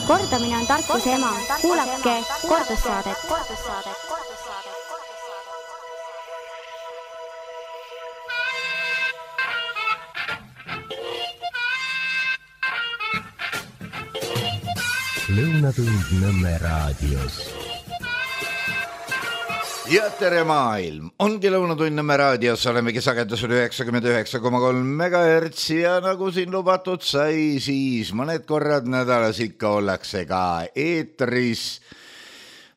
Kordamine on tarkuse ema. Kuulake kordussaadet. Lõunatund Nõmme raadios. Ja tere maailm, ongi Lõunatund Nõmme raadios, olemegi sagedusel 99,3 MHz ja nagu siin lubatud sai, siis mõned korrad nädalas ikka ollakse ka eetris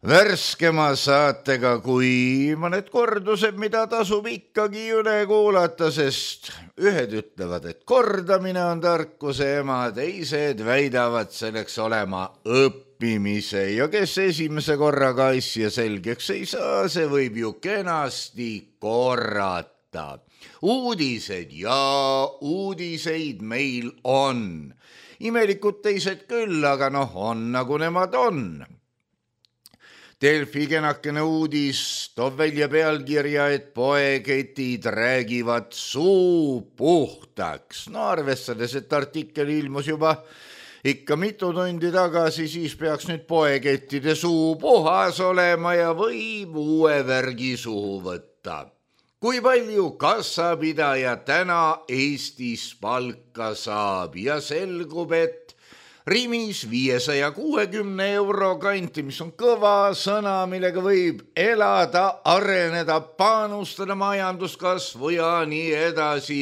värskema saatega kui mõned kordused, mida tasub ikkagi üle kuulata, sest ühed ütlevad, et kordamine on tarkuse ema, teised väidavad selleks olema õppimise ja kes esimese korraga asja selgeks ei saa, see võib ju kenasti korrata. Uudised ja uudiseid meil on. Imelikud teised küll, aga on nagu nemad on. Delfi kenakene uudis toob välja pealkirja, et poeketid räägivad suu puhtaks. Arvestades, et artikkel ilmus juba ikka mitu tundi tagasi, siis peaks nüüd poekettide suu puhas olema ja võib uue värgi suhu võtta. Kui palju kassapidaja täna Eestis palka saab ja selgub, et Rimis 560 euro kanti, mis on kõva sõna, millega võib elada, areneda, panustada majanduskasvu ja nii edasi.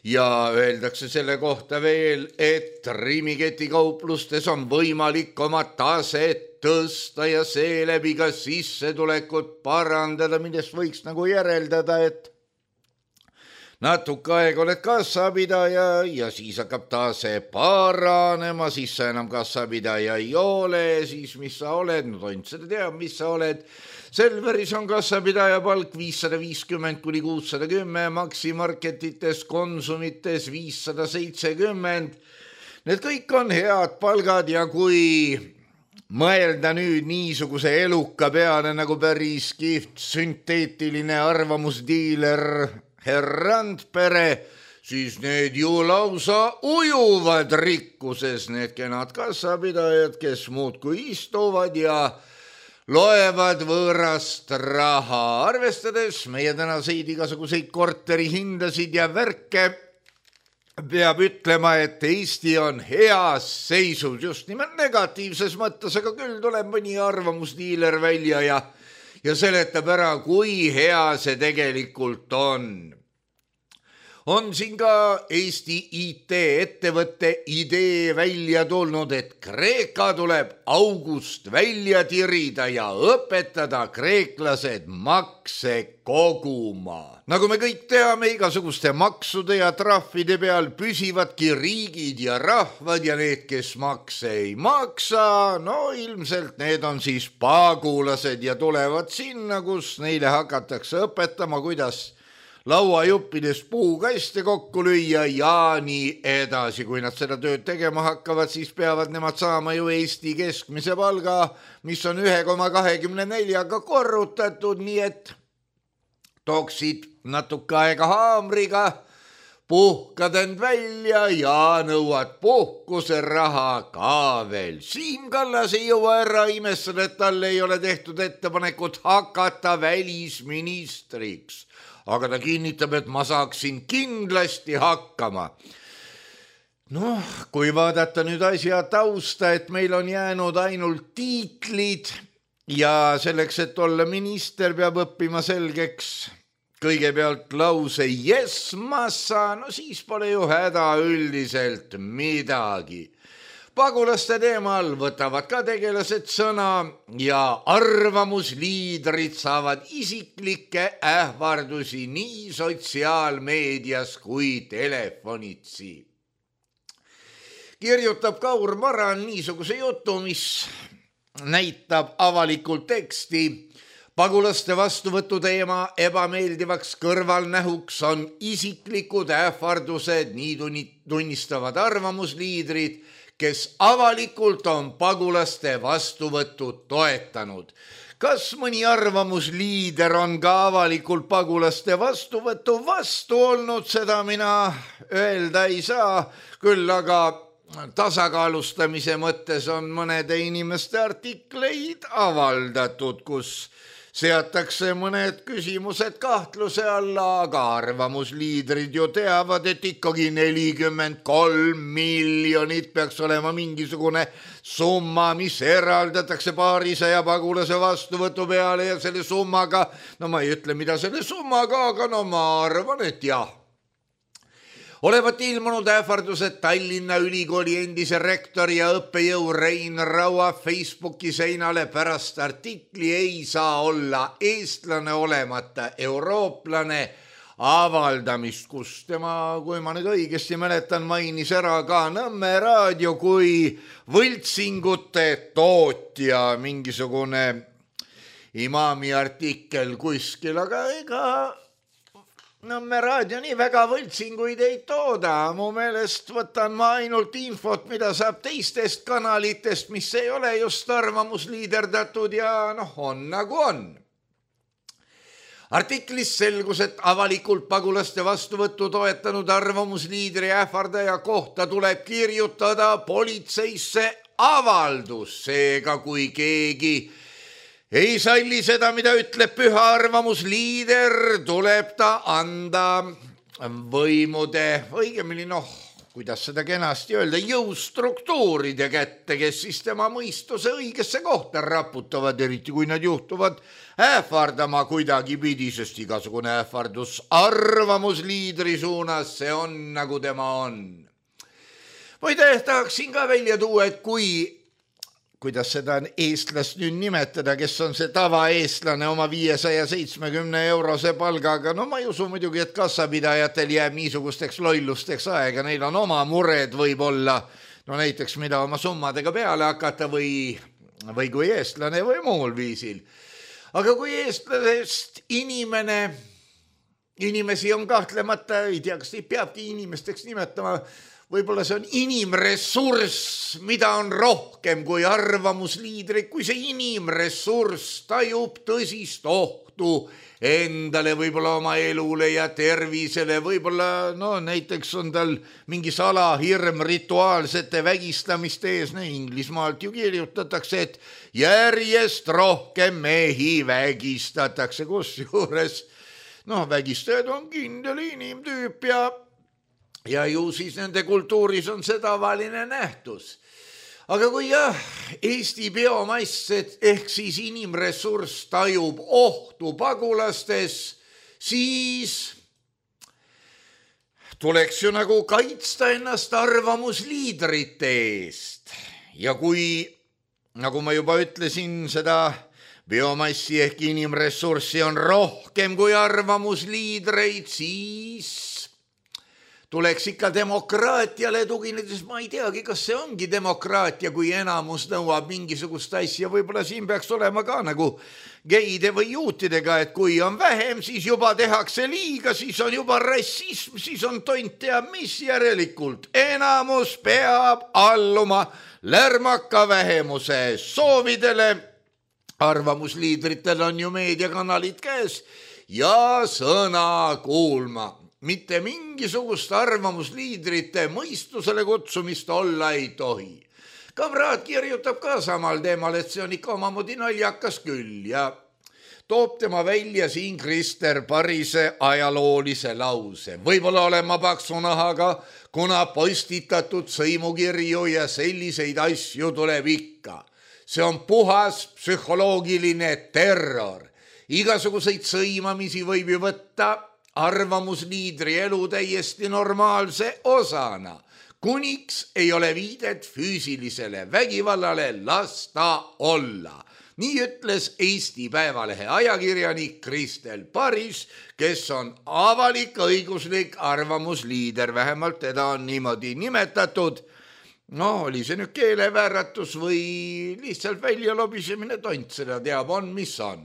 Ja öeldakse selle kohta veel, et Rimi ketikauplustes on võimalik oma taset tõsta ja seeläbi ka sissetulekut parandada, millest võiks nagu järeldada, et natuke aeg oled kassapidaja ja siis hakkab tase paranema, siis sa enam kassapidaja ei ole, siis mis sa oled, tont seda teab, mis sa oled. Selveris on kassapidaja palk 550 kuni 610, Maximarketites, Konsumites 570. Need kõik on head palgad ja kui mõelda nüüd niisuguse eluka peale nagu päris kihvt sünteetiline arvamusdiiler Randpere, siis need ju lausa ujuvad rikkuses, need kenad kassapidajad, kes muudkui istuvad ja loevad võõrast raha. Arvestades meie tänaseid igasuguseid korterihindasid ja värke, peab ütlema, et Eesti on heas seisus, just nimelt negatiivses mõttes, aga küll tuleb mõni arvamusdiiler välja ja seletab ära, kui hea see tegelikult on. On siin ka Eesti IT-ettevõtte idee välja tulnud, et Kreeka tuleb august välja tirida ja õpetada kreeklased makse koguma. Nagu me kõik teame, igasuguste maksude ja trahvide peal püsivadki riigid ja rahvad ja need, kes makse ei maksa, ilmselt need on siis pagulased ja tulevad sinna, kus neile hakatakse õpetama, kuidas lauajuppides puukaste kokku lüüa ja nii edasi. Kui nad seda tööd tegema hakkavad, siis peavad nemad saama ju Eesti keskmise palga, mis on 1,24-ga korrutatud, nii et tooksid natuke aega haamriga, puhkad end välja ja nõuad puhkuse raha ka veel. Siim Kallas ei jõua ära imestada, et talle ei ole tehtud ettepanekut hakata välisministriks. Aga ta kinnitab, et ma saaksin kindlasti hakkama. Kui vaadata nüüd asja tausta, et meil on jäänud ainult tiitlid ja selleks, et olla minister, peab õppima selgeks kõigepealt lause yes, ma saan, siis pole ju häda üldiselt midagi. Pagulaste teemal võtavad ka tegelased sõna ja arvamusliidrid saavad isiklikke ähvardusi nii sotsiaalmeedias kui telefonitsi. Kirjutab Kaur Maran niisuguse jutu, mis näitab avalikult teksti. Pagulaste vastuvõtu teema ebameeldivaks kõrvalnähuks on isiklikud ähvardused, nii tunnistavad arvamusliidrid, kes avalikult on pagulaste vastuvõttu toetanud. Kas mõni arvamusliider on ka avalikult pagulaste vastuvõtu vastu olnud, seda mina öelda ei saa, küll aga tasakaalustamise mõttes on mõnede inimeste artikleid avaldatud, kus seatakse mõned küsimused kahtluse alla, aga arvamusliidrid ju teavad, et ikkagi 43 miljonit peaks olema mingisugune summa, mis eraldatakse paarisaja pagulase vastuvõtu peale ja selle summaga, no ma ei ütle, mida selle summaga, aga no ma arvan, et jah. Olevat ilmunud ähvardused Tallinna Ülikooli endise rektori ja õppejõu Rein Raua Facebooki seinale pärast artikli "Ei saa olla eestlane olemata eurooplane" avaldamist, kus tema, kui ma nüüd õigesti mäletan, mainis ära ka Nõmme raadio kui võltsingute tootja, mingisugune imaami artikkel kuskil, aga ega Nõmme raadio nii väga võltsinguid ei tooda. Mu meelest võtan ma ainult infot, mida saab teistest kanalitest, mis ei ole just arvamusliiderdatud ja on nagu on. Artiklis selgus, et avalikult pagulaste vastuvõttu toetanud arvamusliidri ähvardaja kohta tuleb kirjutada politseisse avaldus, seega kui keegi ei salli seda, mida ütleb püha arvamusliider, tuleb ta anda võimude, õigemini kuidas seda kenasti öelda, jõustruktuuride kätte, kes siis tema mõistuse õigesse kohta raputavad, eriti kui nad juhtuvad ähvardama kuidagipidi, sest igasugune ähvardus arvamusliidri suunas, see on nagu tema on. Muide, tahaksin ka välja tuua, et kuidas seda on eestlast nüüd nimetada, kes on see tavaeestlane oma 570 eurose palgaga, ma ei usu muidugi, et kassapidajatel jääb niisugusteks lollusteks aega, neil on oma mured võib-olla, näiteks mida oma summadega peale hakata või kui eestlane või muul viisil. Aga kui eestlasest inimesi on kahtlemata, ei tea, kas neid peabki inimesteks nimetama, võib-olla see on inimressurss, mida on rohkem kui arvamusliidrid, kui see inimressurss tajub tõsist ohtu endale, võib-olla oma elule ja tervisele, võib-olla näiteks on tal mingi salahirm rituaalsete vägistamiste ees, Inglismaalt ju kirjutatakse, et järjest rohkem mehi vägistatakse, kusjuures vägistajad on kindel inimtüüp ja ju siis nende kultuuris on see tavaline nähtus. Aga kui Eesti biomass ehk siis inimressurss tajub ohtu pagulastes, siis tuleks ju nagu kaitsta ennast arvamusliidrite eest. Ja kui, nagu ma juba ütlesin, seda biomassi ehk inimressurssi on rohkem kui arvamusliidreid, siis tuleks ikka demokraatiale tuginedes, ma ei teagi, kas see ongi demokraatia, kui enamus nõuab mingisugust asja, võib-olla siin peaks olema ka nagu geide või juutidega, et kui on vähem, siis juba tehakse liiga, siis on juba rassism, siis on tont teab mis, järelikult enamus peab alluma lärmaka vähemuse soovidele. Arvamusliidritel on ju meediakanalid käes ja sõna kuulma. Mitte mingisugust arvamusliidrite mõistusele kutsumist olla ei tohi. Kamraad kirjutab ka samal teemal, et see on ikka omamoodi naljakas küll ja toob tema välja siin Krister Parise ajaloolise lause. Võib-olla olen ma paksu nahaga, kuna postitatud sõimukirju ja selliseid asju tuleb ikka. See on puhas psühholoogiline terror. Igasuguseid sõimamisi võib ju võtta arvamusliidri elu täiesti normaalse osana. Kuniks ei ole viidet füüsilisele vägivallale, las ta olla. Nii ütles Eesti Päevalehe ajakirjanik Kristel Paris, kes on avalik-õiguslik arvamusliider, vähemalt teda on niimoodi nimetatud. Oli see nüüd keelevääratus või lihtsalt välja lobisemine, tont seda teab, on mis on.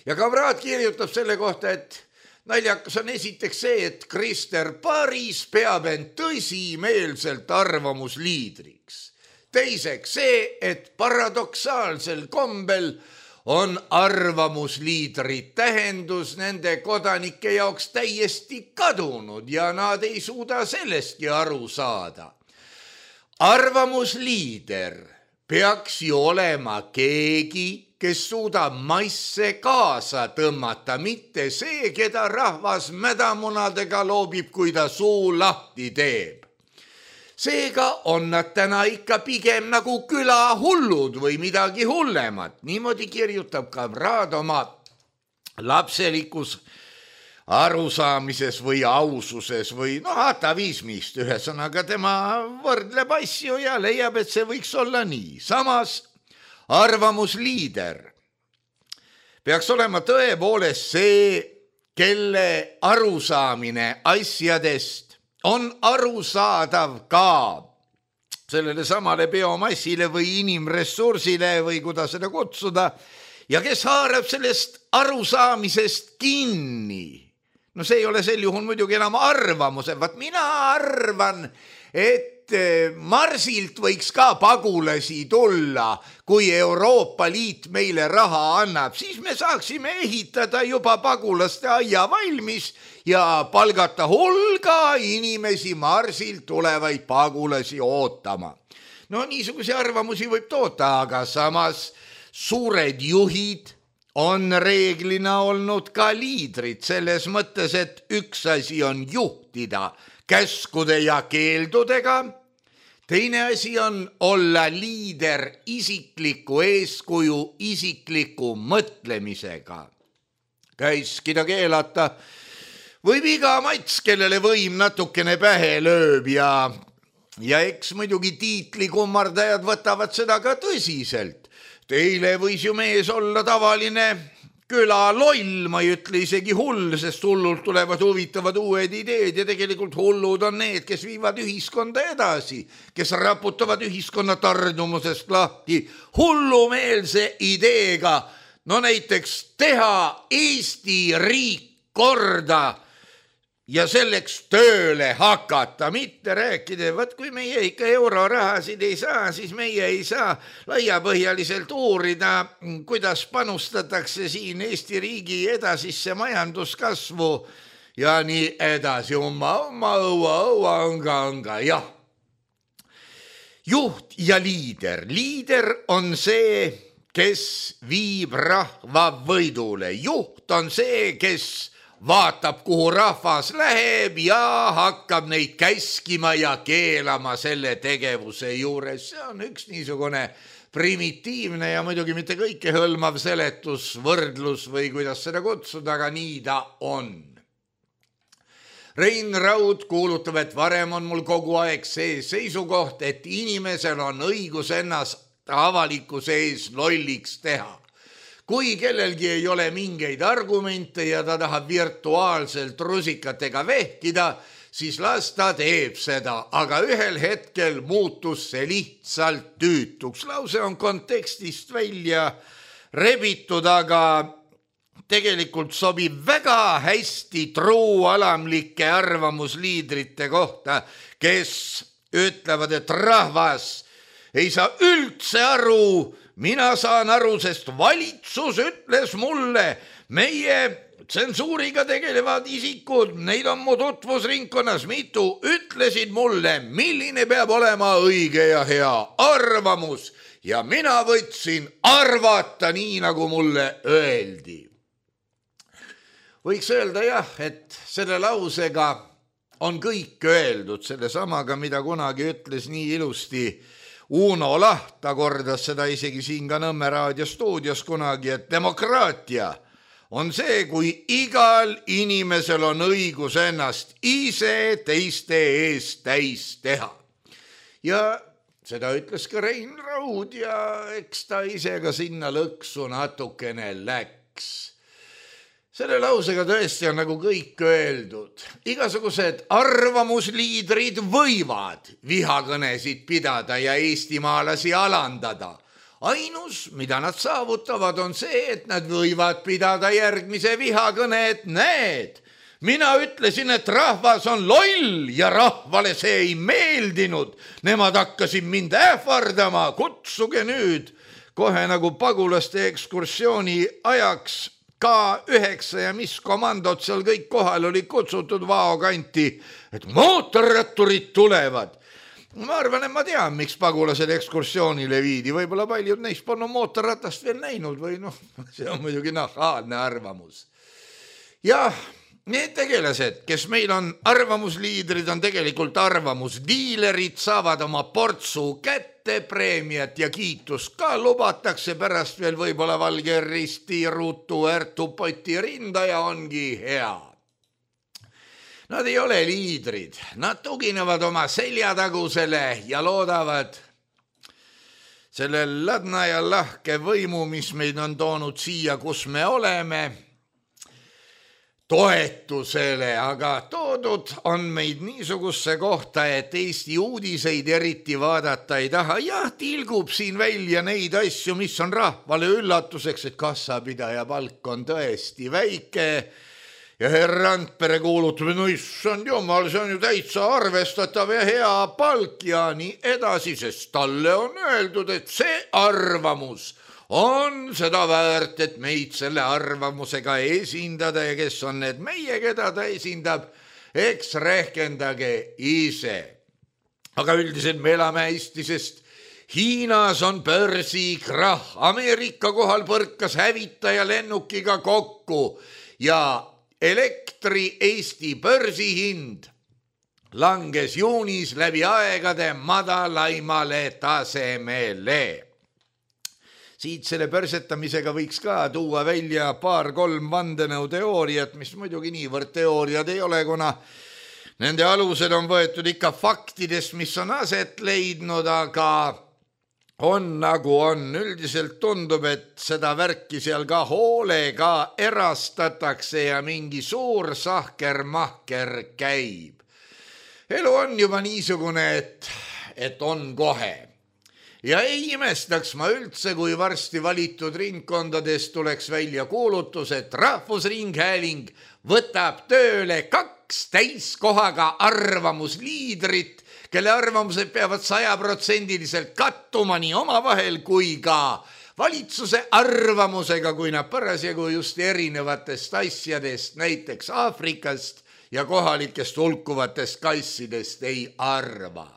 Ja Kamraad kirjutab selle kohta, et naljakas on esiteks see, et Krister Paris peab end tõsimeelselt arvamusliidriks. Teiseks see, et paradoksaalsel kombel on arvamusliidri tähendus nende kodanike jaoks täiesti kadunud ja nad ei suuda sellestki aru saada. arvamusliider peaks ju olema keegi, kes suudab maisse kaasa tõmmata, mitte see, keda rahvas mädamunadega loobib, kui ta suu lahti teeb. Seega on nad täna ikka pigem nagu külahullud või midagi hullemat. Niimoodi kirjutab ka Raad oma lapselikus arusaamises või aususes või atavismist. Ühesõnaga tema võrdleb asju ja leiab, et see võiks olla nii. Samas arvamusliider peaks olema tõepoolest see, kelle arusaamine asjadest on arusaadav ka sellele samale biomassile või inimressursile või kuidas seda kutsuda ja kes haarab sellest arusaamisest kinni. No see ei ole sel juhul muidugi enam arvamuse, vaat mina arvan, et Marsilt võiks ka pagulasi tulla, kui Euroopa Liit meile raha annab, siis me saaksime ehitada juba pagulaste aia valmis ja palgata hulga inimesi Marsilt tulevaid pagulasi ootama. No niisuguse arvamusi võib toota, aga samas suured juhid on reeglina olnud ka liidrid selles mõttes, et üks asi on juhtida käskude ja keeldudega, teine asi on olla liider isikliku eeskuju, isikliku mõtlemisega. Käskida keelata võib iga mats, kellele võim natukene pähe lööb ja eks muidugi tiitlikummardajad võtavad seda ka tõsiselt. Teile võis ju mees olla tavaline küla loll, ma ei ütle isegi hull, sest hullult tulevad huvitavad uued ideed ja tegelikult hullud on need, kes viivad ühiskonda edasi, kes raputavad ühiskonna tardumusest lahti hullumeelse ideega, no näiteks teha Eesti riik korda ja selleks tööle hakata, mitte rääkida, vaat kui meie ikka eurorahasid ei saa, siis meie ei saa laiapõhjaliselt uurida, kuidas panustatakse siin Eesti riigi edasisse majanduskasvu ja nii edasi. Jah. Juht ja liider. Liider on see, kes viib rahva võidule. Juht on see, kes vaatab, kuhu rahvas läheb ja hakkab neid käskima ja keelama selle tegevuse juures. See on üks niisugune primitiivne ja muidugi mitte kõike hõlmav seletus, võrdlus või kuidas seda kutsuda, aga nii ta on. Rein Raud kuulutab, et varem on mul kogu aeg see seisukoht, et inimesel on õigus ennast avalikkuse ees lolliks teha. Kui kellelgi ei ole mingeid argumente ja ta tahab virtuaalselt rusikatega vehkida, siis las ta teeb seda, aga ühel hetkel muutus see lihtsalt tüütuks. Lause on kontekstist välja rebitud, aga tegelikult sobib väga hästi truualamlike arvamusliidrite kohta, kes ütlevad, et rahvas ei saa üldse aru. Mina saan aru, sest valitsus ütles mulle, meie tsensuuriga tegelevad isikud, neid on mu tutvusringkonnas mitu, ütlesid mulle, milline peab olema õige ja hea arvamus ja mina võtsin arvata nii, nagu mulle öeldi. Võiks öelda jah, et selle lausega on kõik öeldud, selle samaga, mida kunagi ütles nii ilusti Uno Laht, ta kordas seda isegi siin ka Nõmme raadio stuudios kunagi, et demokraatia on see, kui igal inimesel on õigus ennast ise teiste eest täis teha. Ja seda ütles ka Rein Raud ja eks ta ise ka sinna lõksu natukene läks. Selle lausega tõesti on nagu kõik öeldud. Igasugused arvamusliidrid võivad vihakõnesid pidada ja eestimaalasi alandada. Ainus, mida nad saavutavad, on see, et nad võivad pidada järgmise vihakõne, et näed, mina ütlesin, et rahvas on loll ja rahvale see ei meeldinud. Nemad hakkasid mind ähvardama, kutsuge nüüd kohe nagu pagulaste ekskursiooni ajaks K9 ja mis komandod seal kõik kohal oli kutsutud Vao kanti, et mootorratturid tulevad. Ma arvan, et ma tean, miks pagulased ekskursioonile viidi, võib-olla paljud neist polnud mootorratast veel näinud või see on muidugi nahaalne arvamus. Jah, need tegelased, kes meil on arvamusliidrid, on tegelikult arvamusdiilerid, saavad oma portsu kätte, preemiat ja kiitust ka lubatakse pärast veel võib-olla Valge Risti, Rutu, Ärtu, Poti rinda ja ongi hea. Nad ei ole liidrid, nad tuginevad oma seljatagusele ja loodavad selle ladna ja lahke võimu, mis meid on toonud siia, kus me oleme, toetusele, aga toodud on meid niisugusse kohta, et Eesti uudiseid eriti vaadata ei taha. Jah, tilgub siin välja neid asju, mis on rahvale üllatuseks, et kassapidaja palk on tõesti väike ja herr Randpere kuulutab, no issand jumal, see on ju täitsa arvestatav ja hea palk ja nii edasi, sest talle on öeldud, et see arvamus on seda väärt, et meid selle arvamusega esindada ja kes on need meie, keda ta esindab, eks rehkendage ise. Aga üldiselt me elame hästi, sest Hiinas on börsikrahh, Ameerika kohal põrkas hävitaja lennukiga kokku ja elektri Eesti börsihind langes juunis läbi aegade madalaimale tasemele. Siit selle börsetamisega võiks ka tuua välja 2-3 vandenõuteooriat, mis muidugi niivõrd teooriad ei ole, kuna nende alused on võetud ikka faktidest, mis on aset leidnud, aga on nagu on. Üldiselt tundub, et seda värki seal ka hoolega erastatakse ja mingi suur sahker-mahker käib. Elu on juba niisugune, et on kohe. Ja ei imestaks ma üldse, kui varsti valitud ringkondades tuleks välja kuulutus, et Rahvusringhääling võtab tööle 2 täiskohaga arvamusliidrit, kelle arvamused peavad 100% kattuma nii omavahel kui ka valitsuse arvamusega, kui nad parasjagu just erinevatest asjadest, näiteks Aafrikast ja kohalikest hulkuvatest kassidest ei arva.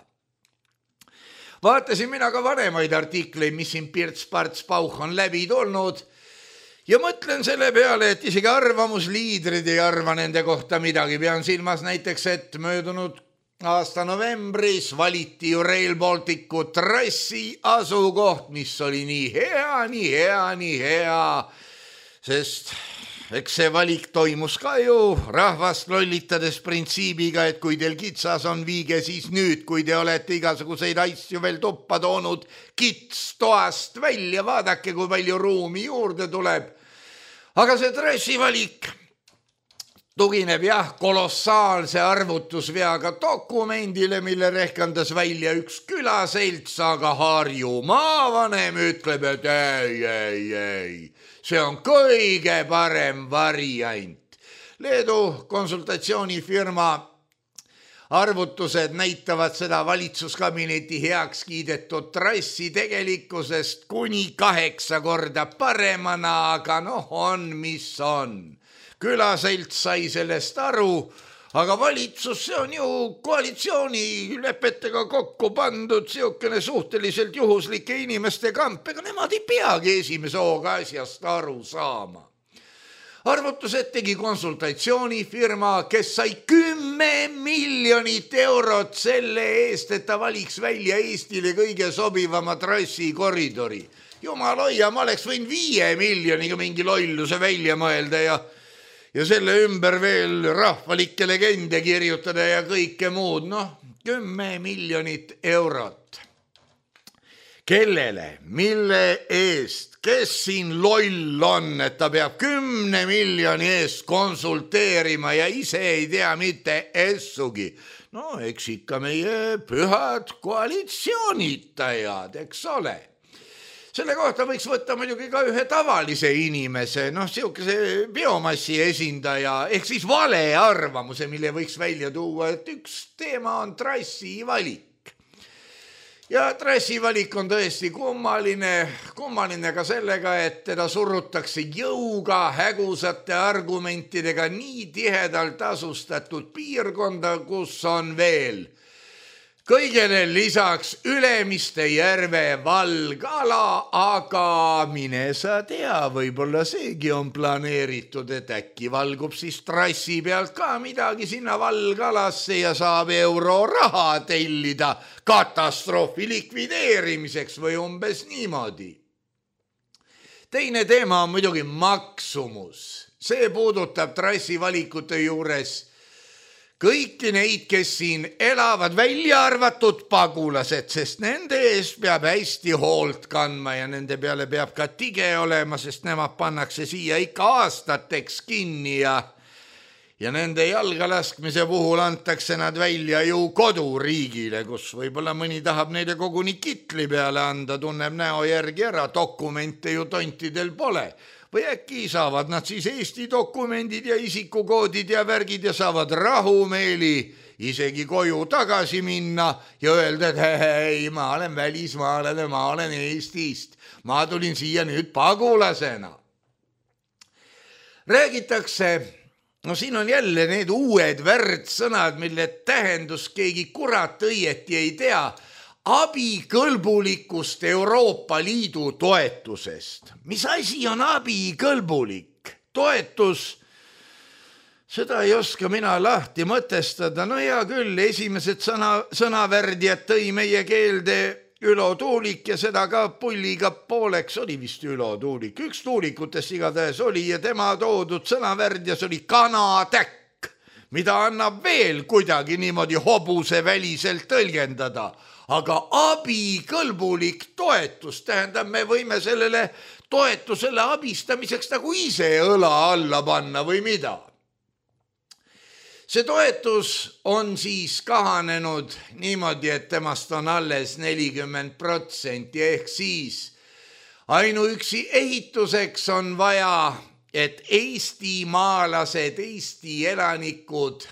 Vaatasin mina ka vanemaid artikleid, mis siin Pirts-Parts-Pauch on läbi tulnud ja mõtlen selle peale, et isegi arvamusliidrid ei arva nende kohta midagi. Pean silmas näiteks, et möödunud aasta novembris valiti ju Rail Balticu trassi asukoht, mis oli nii hea, sest eks see valik toimus ka ju rahvast lollitades printsiibiga, et kui teil kitsas on, viige siis nüüd, kui te olete igasuguseid asju veel tuppa toonud kits toast välja, vaadake, kui palju ruumi juurde tuleb. Aga see trassi valik tugineb kolossaalse arvutusveaga dokumendile, mille rehkendas välja üks külaselts, aga Harju maavanem ütleb, et ei, see on kõige parem variant. Leedu konsultatsioonifirma arvutused näitavad seda valitsuskabineti heaks kiidetud trassi tegelikkusest kuni 8 korda paremana, aga on mis on. Külaselts sai sellest aru, aga valitsus, see on ju koalitsioonilepetega kokku pandud siukene suhteliselt juhuslike inimeste kamp, ega nemad ei peagi esimese hooga asjast aru saama. Arvutused tegi konsultatsioonifirma, kes sai 10 miljonit eurot selle eest, et ta valiks välja Eestile kõige sobivama trassi koridori. Jumal hoia, ma oleks võinud 5 miljoniga mingi lolluse välja mõelda ja selle ümber veel rahvalikke legende kirjutada ja kõike muud. 10 miljonit eurot. Kellele? Mille eest? Kes siin loll on, et ta peab 10 miljoni eest konsulteerima ja ise ei tea mitte essugi? Eks ikka meie pühad koalitsioonitajad, eks ole. Selle kohta võiks võtta muidugi ka ühe tavalise inimese, siukese biomassi esindaja, ehk siis vale arvamuse, mille võiks välja tuua, et üks teema on trassi valik. Ja trassi valik on tõesti kummaline ka sellega, et teda surutakse jõuga hägusate argumentidega nii tihedalt asustatud piirkonda, kus on veel kõigele lisaks Ülemiste järve valgala, aga mine sa tea, võib-olla seegi on planeeritud, et äkki valgub siis trassi pealt ka midagi sinna valgalasse ja saab euroraha tellida katastroofi likvideerimiseks või umbes niimoodi. Teine teema on muidugi maksumus. See puudutab trassi valikute juures kõiki neid, kes siin elavad, välja arvatud pagulased, sest nende eest peab hästi hoolt kandma ja nende peale peab ka tige olema, sest nemad pannakse siia ikka aastateks kinni ja nende jalgalaskmise puhul antakse nad välja ju koduriigile, kus võib-olla mõni tahab neile koguni kitli peale anda, tunneb näo järgi ära, dokumente ju tontidel pole. Või äkki saavad nad siis Eesti dokumendid ja isikukoodid ja värgid ja saavad rahumeeli isegi koju tagasi minna ja öelda, et hei, ma olen välismaalane, ma olen Eestist, ma tulin siia nüüd pagulasena. Räägitakse, no siin on jälle need uued värdsõnad, mille tähendus keegi kurat õieti ei tea, abikõlbulikust Euroopa Liidu toetusest. Mis asi on abikõlbulik? Toetus, seda ei oska mina lahti mõtestada. No hea küll, esimesed sõnavärdjad tõi meie keelde Ülo Tuulik ja seda ka pulliga pooleks oli vist Ülo Tuulik. Üks tuulikutest igatahes oli ja tema toodud sõnavärdjas oli kanatäkk, mida annab veel kuidagi niimoodi hobuse väliselt tõlgendada. Aga abikõlbulik toetus tähendab, me võime sellele toetusele abistamiseks nagu ise õla alla panna või mida. See toetus on siis kahanenud niimoodi, et temast on alles 40% ehk siis ainuüksi ehituseks on vaja, et eestimaalased, Eesti elanikud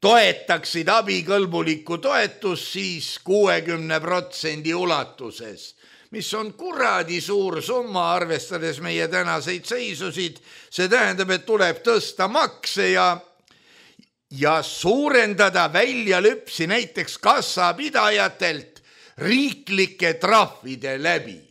toetaksid abikõlbulikku toetust siis 60% ulatuses, mis on kuradi suur summa, arvestades meie tänaseid seisusid. See tähendab, et tuleb tõsta makse ja suurendada väljalüpsi näiteks kassapidajatelt riiklike trahvide läbi.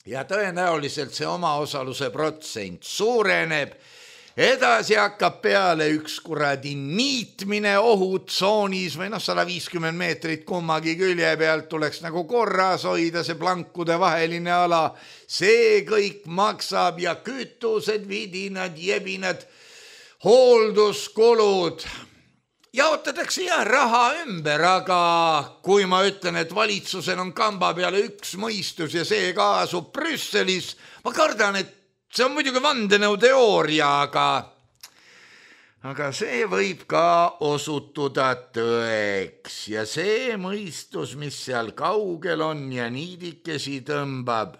Ja tõenäoliselt see omaosaluse protsent suureneb. Edasi hakkab peale üks kuradi niitmine ohutsoonis või 150 meetrit kummagi külje pealt tuleks nagu korras hoida see plankude vaheline ala. See kõik maksab ja kütused, vidinad, jebinad, hoolduskulud. Jaotatakse raha ümber, aga kui ma ütlen, et valitsusel on kamba peale üks mõistus ja see ka asub Brüsselis, ma kardan, et see on muidugi vandenõuteooria, aga see võib ka osutuda tõeks ja see mõistus, mis seal kaugel on ja niidikesi tõmbab,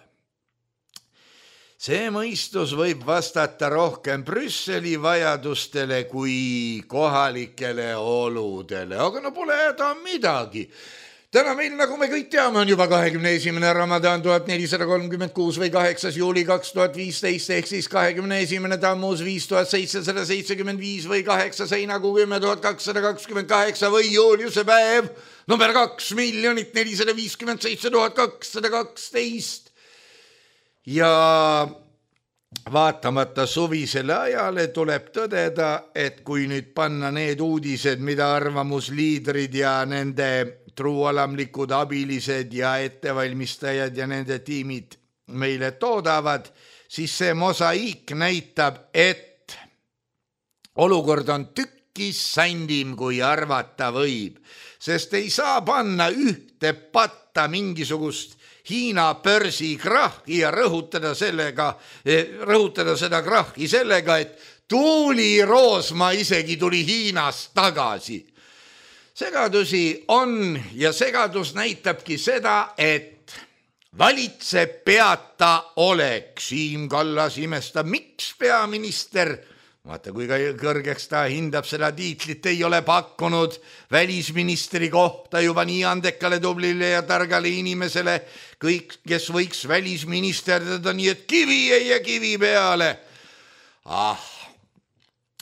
see mõistus võib vastata rohkem Brüsseli vajadustele kui kohalikele oludele, aga no pole häda midagi. Täna meil, nagu me kõik teame, on juba 21. Ramadan 1436 või 8. juuli 2015 ehk siis 21. Tammuz 5775 või 8. heinakuu 10228 või juuliuse päev number 2,457,212. Ja vaatamata suvisele ajale tuleb tõdeda, et kui nüüd panna need uudised, mida arvamusliidrid ja nende truualamlikud abilised ja ettevalmistajad ja nende tiimid meile toodavad, siis see mosaiik näitab, et olukord on tükkis sändim, kui arvata võib, sest ei saa panna ühte patta mingisugust Hiina börsi krahhi ja rõhutada seda krahhi sellega, et Tuuli Roosma isegi tuli Hiinast tagasi. Segadusi on ja segadus näitabki seda, et valitseb peata olek. Siim Kallas imestab, miks peaminister, vaata kui kõrgeks ta hindab seda tiitlit, ei ole pakkunud välisministri kohta juba nii andekale, tublile ja targale inimesele, kõik, kes võiks välisministerdada nii, et kivi ei jää kivi peale.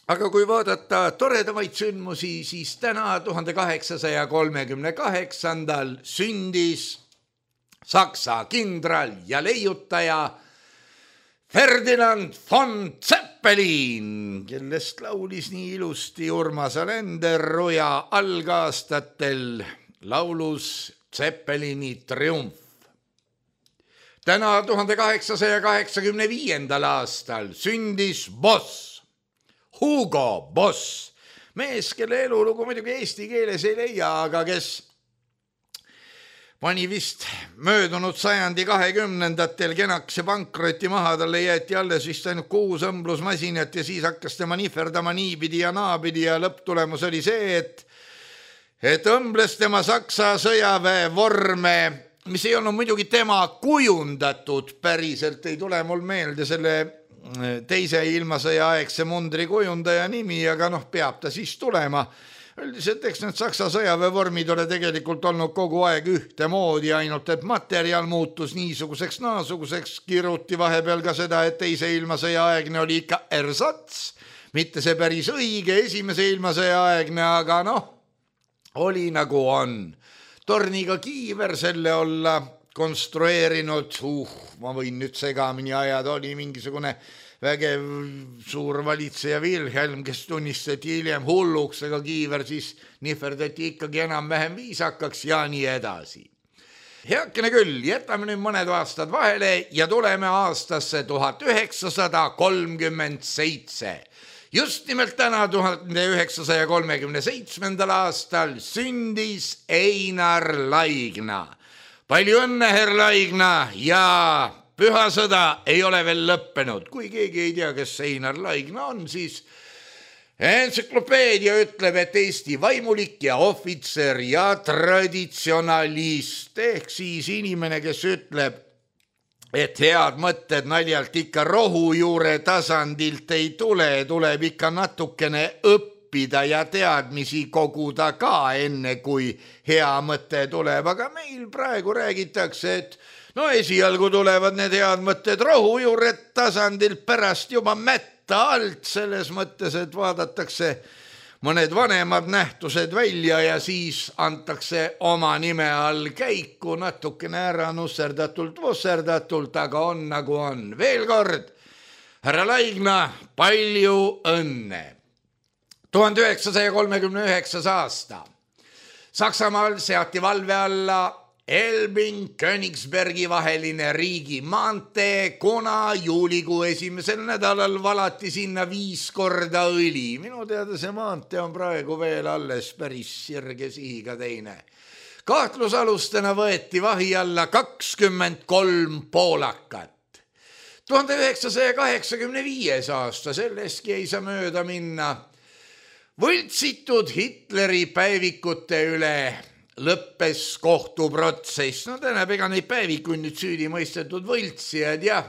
aga kui vaadata toredamaid sündmusi, siis täna 1838 sündis Saksa kindral ja leiutaja Ferdinand von Zeppelin, kellest laulis nii ilusti Urmas Alender Roja algaastatel laulus Zeppelini triumf. Täna 1885. aastal sündis Boss, Hugo Boss, mees, kelle elulugu muidugi eesti keeles ei leia, aga kes pani vist möödunud sajandi 20. kenaks ja pankroti maha, talle jäeti alles vist ainult 6 õmblusmasinat ja siis hakkas tema nihverdama niipidi ja naapidi ja lõpptulemus oli see, et õmbles tema Saksa sõjaväe vorme, mis ei olnud muidugi tema kujundatud, päriselt ei tule mul meelde selle teise ilmasõja aegse mundri kujundaja nimi, aga peab ta siis tulema. Üldiselt eks need Saksa sõjaväevormid ole tegelikult olnud kogu aeg ühtemoodi, ainult et materjal muutus niisuguseks naasuguseks, kiruti vahepeal ka seda, et teise ilmasõja aegne oli ikka ersats, mitte see päris õige esimese ilmasõja aegne, aga oli nagu on. Torniga kiiver selle olla konstrueerinud, ma võin nüüd segamini ajada, oli mingisugune vägev suur valitseja Wilhelm, kes tunnistati hiljem hulluks, aga kiiver siis nihverdati ikkagi enam-vähem viisakaks ja nii edasi. Heakene küll, jätame nüüd mõned aastad vahele ja tuleme aastasse 1937. Just nimelt täna 1937. aastal sündis Einar Laigna. Palju õnne, herr Laigna, ja pühasõda ei ole veel lõppenud. Kui keegi ei tea, kes Einar Laigna on, siis entsüklopeedia ütleb, et Eesti vaimulik ja ohvitser ja traditsionalist, ehk siis inimene, kes ütleb, et head mõtted naljalt ikka rohujuure tasandilt ei tule, tuleb ikka natukene õppida ja teadmisi koguda ka enne, kui hea mõte tuleb. Aga meil praegu räägitakse, et esialgu tulevad need head mõtted rohujuure tasandilt, pärast juba mätta alt, selles mõttes, et vaadatakse mõned vanemad nähtused välja ja siis antakse oma nime all käiku natukene ära nusserdatult, aga on nagu on. Veel kord, härra Laigna, palju õnne. 1939. aasta. Saksamaal seati valve alla Elbing-Königsbergi vaheline riigimaantee, kuna juulikuu esimesel nädalal valati sinna 5 korda õli. Minu teada see maantee on praegu veel alles päris sirge sihiga teine. Kahtlusalustena võeti vahi alla 23 poolakat. 1985. aasta, selleski ei saa mööda minna. Võltsitud Hitleri päevikute üle lõppes kohtuprotsess. Tähendab, ega neid päevikuid nüüd süüdi mõistetud võltsijad ja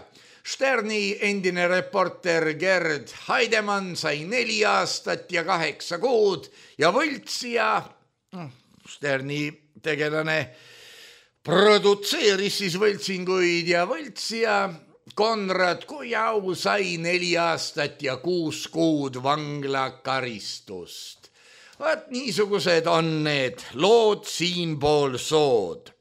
Sterni endine reporter Gerd Heidemann sai 4 aastat ja 8 kuud ja võltsija, Sterni tegelane, produtseeris siis võltsinguid ja võltsija Konrad Kujau sai 4 aastat ja 6 kuud vanglakaristust. Vaat niisugused on need lood siinpool sood.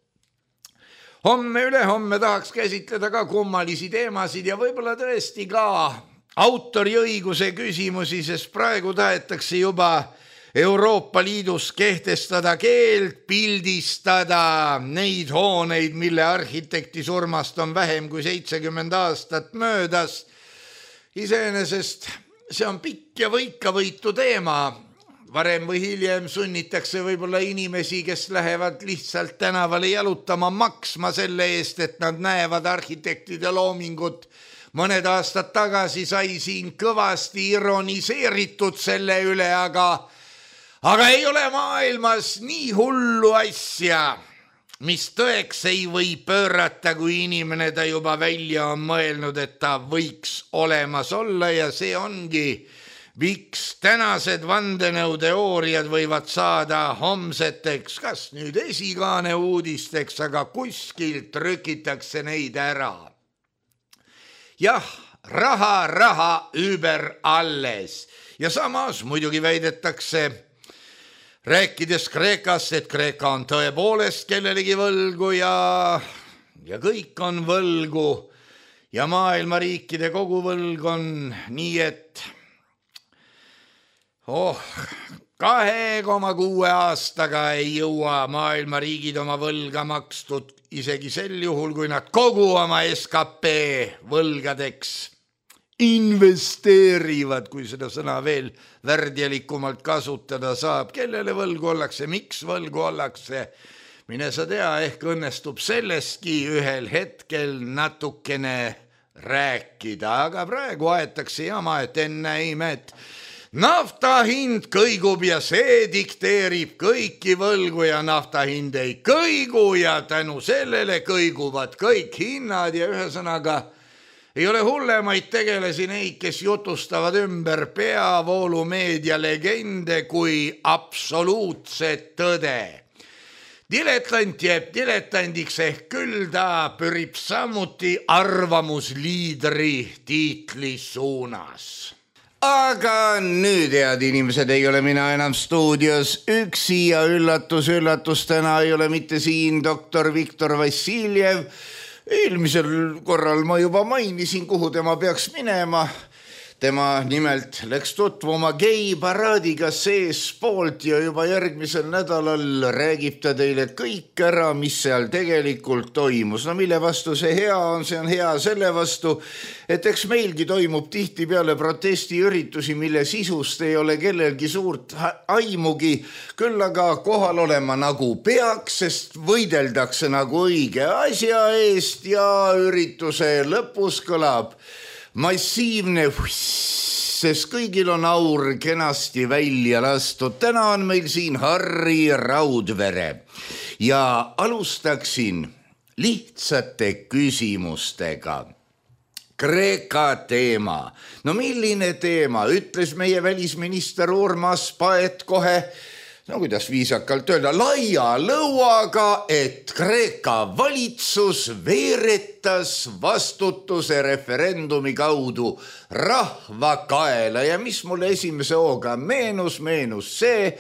Ülehomme tahaks käsitleda ka kummalisi teemasid ja võib-olla tõesti ka autoriõiguse küsimusi, sest praegu tahetakse juba Euroopa Liidus kehtestada keeld pildistada neid hooneid, mille arhitekti surmast on vähem kui 70 aastat möödas. Iseenesest see on pikk ja võikavõitu teema. Varem või hiljem sunnitakse võib-olla inimesi, kes lähevad lihtsalt tänavale jalutama, maksma selle eest, et nad näevad arhitektide loomingut. Mõned aastad tagasi sai siin kõvasti ironiseeritud selle üle, aga ei ole maailmas nii hullu asja, mis tõeks ei või pöörata, kui inimene ta juba välja on mõelnud, et ta võiks olemas olla ja see ongi miks tänased vandenõuteooriad võivad saada homseteks, kas nüüd esikaane uudisteks, aga kuskilt trükitakse neid ära. Jah, raha über alles Ja samas muidugi väidetakse, rääkides Kreekast, et Kreeka on tõepoolest kellelegi võlgu ja kõik on võlgu ja maailma riikide kogu võlg on nii, et 2,6 aastaga ei jõua maailma riigid oma võlga makstud, isegi sel juhul, kui nad kogu oma SKP võlgadeks investeerivad, kui seda sõna veel värdjalikumalt kasutada saab. Kellele võlgu ollakse, miks võlgu ollakse? Mine sa tea, ehk õnnestub sellestki ühel hetkel natukene rääkida, aga praegu aetakse jama, et ennäime, et nafta hind kõigub ja see dikteerib kõiki võlgu ja nafta hind ei kõigu ja tänu sellele kõiguvad kõik hinnad ja ühesõnaga ei ole hullemaid tegelesi neid, kes jutustavad ümber peavoolumeedia legende kui absoluutset tõde. Diletant jääb diletandiks ehk küll ta pürib samuti arvamusliidri tiitli suunas. Aga nüüd, head inimesed, ei ole mina enam stuudios üksi ja üllatus, täna ei ole mitte siin doktor Viktor Vassiljev. Eelmisel korral ma juba mainisin, kuhu tema peaks minema. Tema nimelt läks tutvuma geiparaadiga seespoolt ja juba järgmisel nädalal räägib ta teile kõik ära, mis seal tegelikult toimus. No mille vastu see hea on? See on hea selle vastu, et eks meilgi toimub tihtipeale protestiüritusi, mille sisust ei ole kellelgi suurt aimugi, küll aga kohal olema nagu peaks, sest võideldakse nagu õige asja eest ja ürituse lõpus kõlab massiivne, sest kõigil on aur kenasti välja lastud. Täna on meil siin Harri Raudvere ja alustaksin lihtsate küsimustega. Kreeka teema. No milline teema? Ütles meie välisminister Urmas Paet kohe, no kuidas viisakalt öelda, laia lõuaga, et Kreeka valitsus veeretas vastutuse referendumi kaudu rahva kaela ja mis mulle esimese hooga meenus see,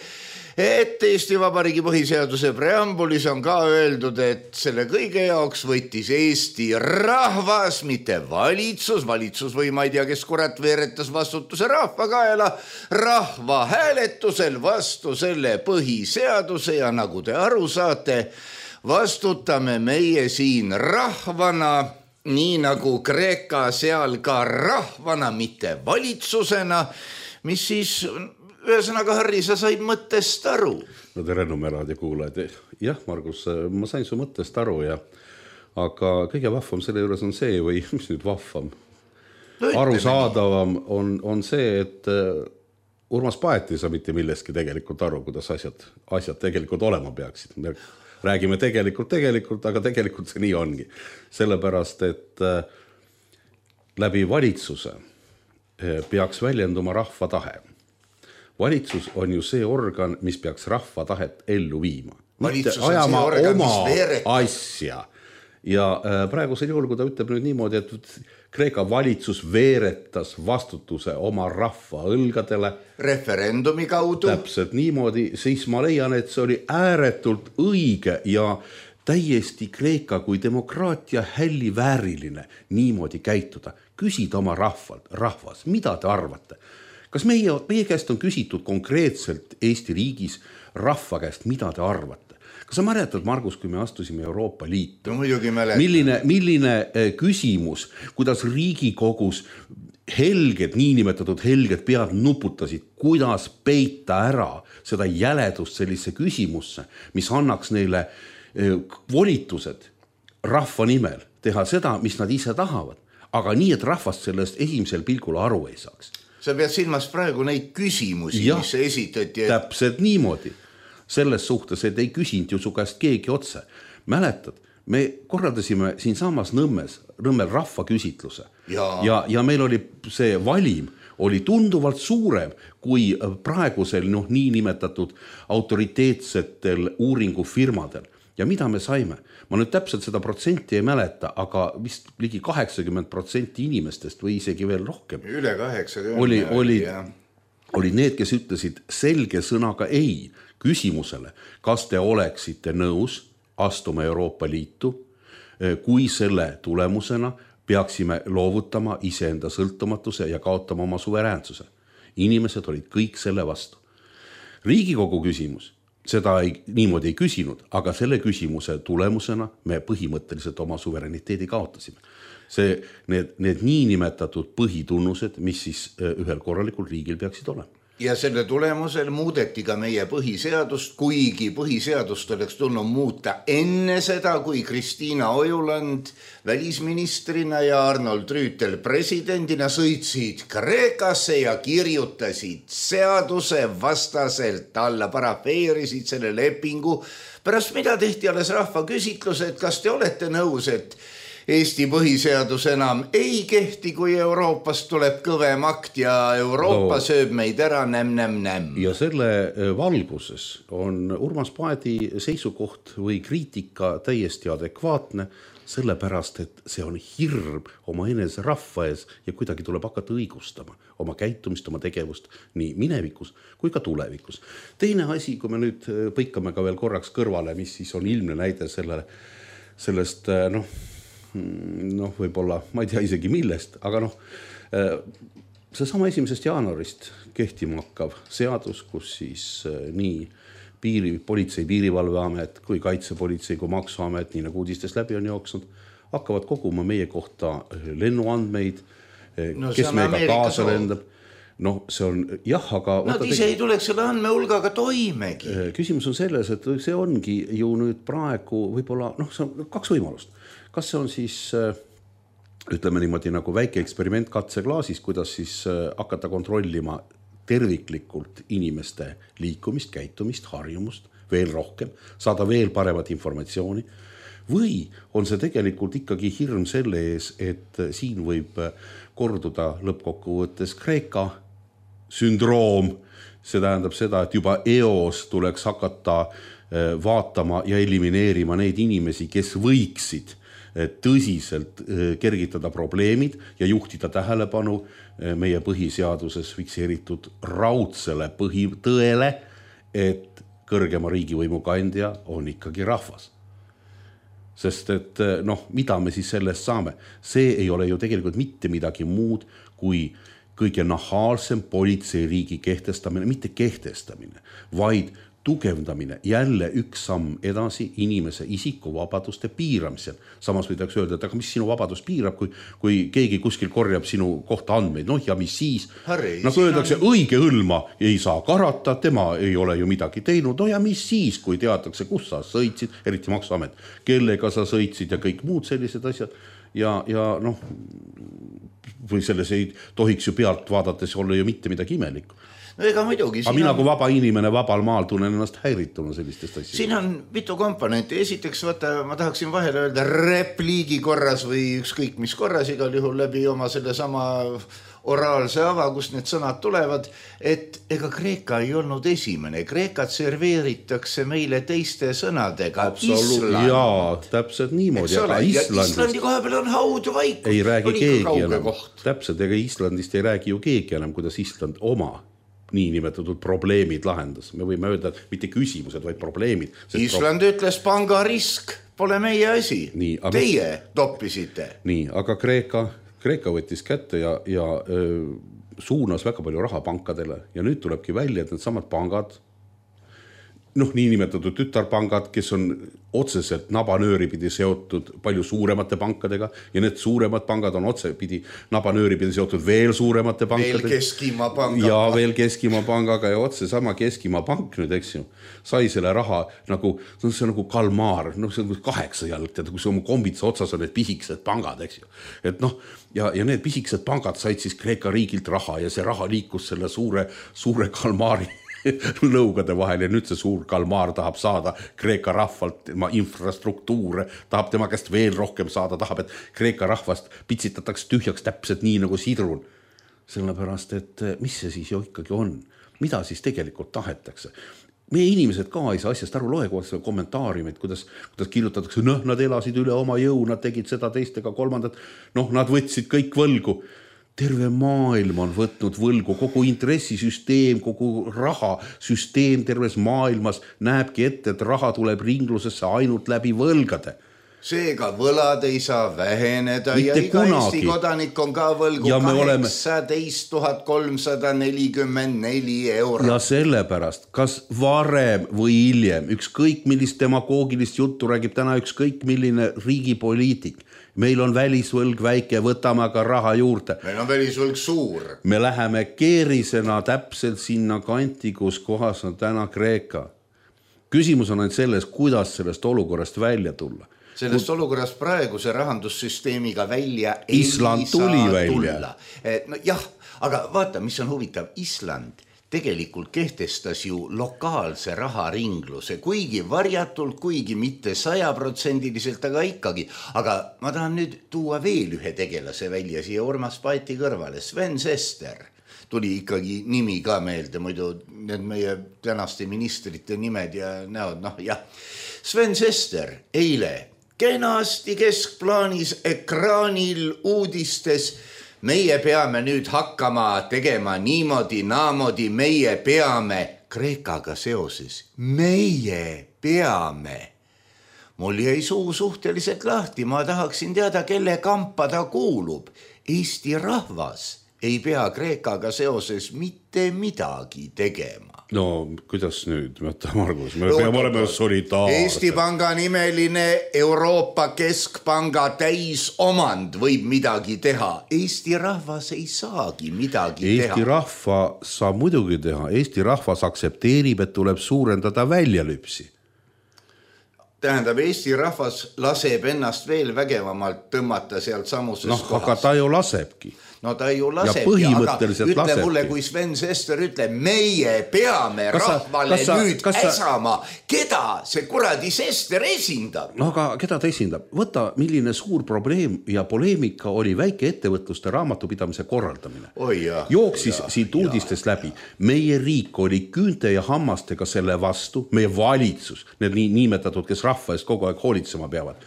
et Eesti Vabariigi põhiseaduse preambulis on ka öeldud, et selle kõige jaoks võttis Eesti rahvas, mitte valitsus või ma ei tea, kes kurat veeretas vastutuse rahva kaela, rahva hääletusel vastu selle põhiseaduse ja nagu te aru saate, vastutame meie siin rahvana, nii nagu Kreeka seal ka rahvana, mitte valitsusena, mis siis ühesõnaga, Harri, sa said mõttest aru. No tere, Nummeraadio kuulajad. Jah, Margus, ma sain su mõttest aru, aga kõige vahvam selle juures on see, või mis nüüd vahvam? Arusaadavam on see, et Urmas Paet ei saa mitte millestki tegelikult aru, kuidas asjad tegelikult olema peaksid. Me räägime tegelikult, aga tegelikult see nii ongi. Sellepärast, et läbi valitsuse peaks väljenduma rahva tahe. Valitsus on ju see organ, mis peaks rahva tahet ellu viima. Valitsus on see organ, mis veeretab asja. Ja praegusel juhul, kui ta ütleb nüüd niimoodi, et Kreeka valitsus veeretas vastutuse oma rahva õlgadele referendumi kaudu. Täpselt niimoodi, siis ma leian, et see oli ääretult õige ja täiesti Kreeka kui demokraatia hälli vääriline niimoodi käituda. Küsida oma rahvas, mida te arvate? Kas meie käest on küsitud konkreetselt Eesti riigis rahva käest, mida te arvate? Kas sa mäletad, Margus, kui me astusime Euroopa Liitu? No muidugi mäletan. Milline küsimus, kuidas Riigikogus niinimetatud helged pead nuputasid, kuidas peita ära seda jäledust sellise küsimusse, mis annaks neile volitused rahva nimel teha seda, mis nad ise tahavad, aga nii, et rahvast sellest esimesel pilgul aru ei saaks. Sa pead silmas praegu neid küsimusi, mis esitati. Täpselt niimoodi. Selles suhtes, et ei küsinud ju su käest keegi otse. Mäletad, me korraldasime siin samas Nõmmel rahvaküsitluse ja meil oli see valim oli tunduvalt suurem kui praegusel niinimetatud autoriteetsetel uuringufirmadel. Ja mida me saime? Ma nüüd täpselt seda protsenti ei mäleta, aga vist ligi 80% inimestest või isegi veel rohkem. Üle 80. olid need, kes ütlesid selge sõnaga ei küsimusele, kas te oleksite nõus astuma Euroopa Liitu, kui selle tulemusena peaksime loovutama iseenda sõltumatuse ja kaotama oma suveräänsuse. Inimesed olid kõik selle vastu. Riigikogu küsimus, seda niimoodi ei küsinud, aga selle küsimuse tulemusena me põhimõtteliselt oma suverääniteedi kaotasime. Need niinimetatud põhitunnused, mis siis ühel korralikul riigil peaksid olema. Ja selle tulemusel muudeti ka meie põhiseadust, kuigi põhiseadust oleks tulnud muuta enne seda, kui Kristiina Ojuland välisministrina ja Arnold Rüütel presidendina sõitsid Kreekasse ja kirjutasid seaduse vastaselt alla, parafeerisid selle lepingu, pärast mida tehti alles rahvaküsitlus, et kas te olete nõus, et Eesti põhiseadus enam ei kehti, kui Euroopast tuleb kõvem akt ja Euroopa sööb meid ära näm. Ja selle valguses on Urmas Paeti seisukoht või kriitika täiesti adekvaatne, sellepärast, et see on hirm oma enese rahva ees ja kuidagi tuleb hakata õigustama oma käitumist, oma tegevust nii minevikus kui ka tulevikus. Teine asi, kui me nüüd põikame ka veel korraks kõrvale, mis siis on ilmne näide sellest võib-olla, ma ei tea isegi millest, aga see sama 1. jaanuarist kehtima hakkav seadus, kus siis nii politsei, piirivalveamet kui kaitsepolitsei kui maksuamet, nii nagu uudistest läbi on jooksnud, hakkavad koguma meie kohta lennuandmeid, kes meiega kaasa lendab. See on aga... Nad ise ei tuleks selle andmehulgaga toimegi. Küsimus on selles, et see ongi ju nüüd praegu võib-olla, see on 2 võimalust. Kas see on siis, ütleme niimoodi nagu väike eksperiment katseklaasis, kuidas siis hakata kontrollima terviklikult inimeste liikumist, käitumist, harjumust veel rohkem, saada veel paremat informatsiooni, või on see tegelikult ikkagi hirm selle ees, et siin võib korduda lõppkokkuvõttes Kreeka sündroom, see tähendab seda, et juba eos tuleks hakata vaatama ja elimineerima neid inimesi, kes võiksid tõsiselt kergitada probleemid ja juhtida tähelepanu meie põhiseaduses fikseeritud raudsele põhitõele, et kõrgema riigivõimu kandja on ikkagi rahvas. Sest et mida me siis sellest saame? See ei ole ju tegelikult mitte midagi muud kui kõige nahaalsem politseiriigi kehtestamine, mitte kehtestamine, vaid tugevdamine, jälle üks samm edasi inimese isikuvabaduste piiramisel. Samas võidaks öelda, et aga mis sinu vabadus piirab, kui keegi kuskil korjab sinu kohta andmeid, ja mis siis? Nagu öeldakse, õige hõlma ei saa karata, tema ei ole ju midagi teinud, ja mis siis, kui teatakse, kus sa sõitsid, eriti maksuamet, kellega sa sõitsid ja kõik muud sellised asjad. Ja või selles ei tohiks ju pealt vaadates olla ju mitte midagi imelikku. Ega muidugi. Aga mina kui vaba inimene vabal maal tunnen ennast häirituna sellistest asjadest. Siin on mitu komponenti. Esiteks, ma tahaksin vahele öelda repliigi korras või ükskõik mis korras, igal juhul läbi oma selle sama oraalse ava, kus need sõnad tulevad, et ega Kreeka ei olnud esimene. Kreekat serveeritakse meile teiste sõnadega. Island. Jaa, täpselt niimoodi. Islandi koha peal on haud vaik. Ei räägi keegi enam. Täpselt, ega Islandist ei räägi ju keegi enam, kuidas Island oma niinimetatud probleemid lahendas. Me võime öelda, et mitte küsimused, vaid probleemid. Island ütles, pangarisk pole meie asi. Teie toppisite. Nii, aga Kreeka võttis kätte ja suunas väga palju raha pankadele. Ja nüüd tulebki välja, et need samad pangad, niinimetatud tütarpangad, kes on otseselt nabanööripidi seotud palju suuremate pankadega ja need suuremad pangad on otsepidi nabanööripidi seotud veel suuremate pankadega. Veel Keskimaa pangaga. Ja veel Keskimaa pangaga ja otse sama Keskimaa pank nüüd, eks ju, sai selle raha nagu, see on nagu kalmaar, see on 8 jalg, kui see oma kombitsa otsas on need pisikesed pangad, eks ju. Et ja need pisikesed pangad said siis Kreeka riigilt raha ja see raha liikus selle suure kalmaari lõugade vahel ja nüüd see suur kalmaar tahab saada Kreeka rahvalt tema infrastruktuure, tahab tema käest veel rohkem saada, tahab, et Kreeka rahvast pitsitatakse tühjaks täpselt nii nagu sidrun. Sellepärast, et mis see siis ju ikkagi on? Mida siis tegelikult tahetakse? Meie inimesed ka ei saa asjast aru, loe koos kommentaariumid, kuidas kirjutatakse, nad elasid üle oma jõu, nad tegid seda teistega kolmandat, nad võtsid kõik võlgu. terve maailm on võtnud võlgu, kogu intressisüsteem, kogu rahasüsteem terves maailmas näebki ette, et raha tuleb ringlusesse ainult läbi võlgade. Seega võlad ei saa väheneda mitte ja iga kunagi. Eesti kodanik on ka võlgu 18 344 €. Ja sellepärast, kas varem või hiljem, ükskõik millist demagoogilist juttu räägib täna ükskõik milline riigipoliitik, meil on välisvõlg väike, võtame aga raha juurde. Meil on välisvõlg suur. Me läheme keerisena täpselt sinna kanti, kus kohas on täna Kreeka. Küsimus on ainult selles, kuidas sellest olukorrast välja tulla. Sellest olukorrast praeguse rahandussüsteemiga välja Island tuli välja. No jah, aga vaata, mis on huvitav. Island tegelikult kehtestas ju lokaalse raharingluse, kuigi varjatult, kuigi mitte 100%, aga ikkagi. Aga ma tahan nüüd tuua veel ühe tegelase välja siia Urmas Paeti kõrvale, Sven Sester. Tuli ikkagi nimi ka meelde, muidu need meie tänaste ministrite nimed ja näod, noh jah. Sven Sester eile kenasti keskplaanis ekraanil uudistes, meie peame nüüd hakkama tegema niimoodi, naamodi, meie peame Kreekaga seoses. Meie peame. Mul jäi suu suhteliselt lahti, ma tahaksin teada, kelle kampa ta kuulub. Eesti rahvas ei pea Kreekaga seoses mitte midagi tegema. No kuidas nüüd, Margus, me peame olema solidaarsed. Eesti Panga nimeline Euroopa Keskpanga täisomand võib midagi teha. Eesti rahvas ei saagi midagi teha. Eesti rahva saab muidugi teha. Eesti rahvas aksepteerib, et tuleb suurendada väljalüpsi. Tähendab, Eesti rahvas laseb ennast veel vägevamalt tõmmata sealt samuses kohas. Aga ta ju lasebki. No ta ju lasebki, aga ütle mulle, kui Sven Sester ütleb, meie peame rahvale nüüd äsama, keda see kuradi Sester esindab? No aga keda ta esindab? Võta, milline suur probleem ja poleemika oli väike ettevõtluste raamatupidamise korraldamine. Jooksis siit uudistest läbi. Meie riik oli küünte ja hammastega selle vastu, meie valitsus, need niimetatud, kes rahva eest kogu aeg hoolitsema peavad.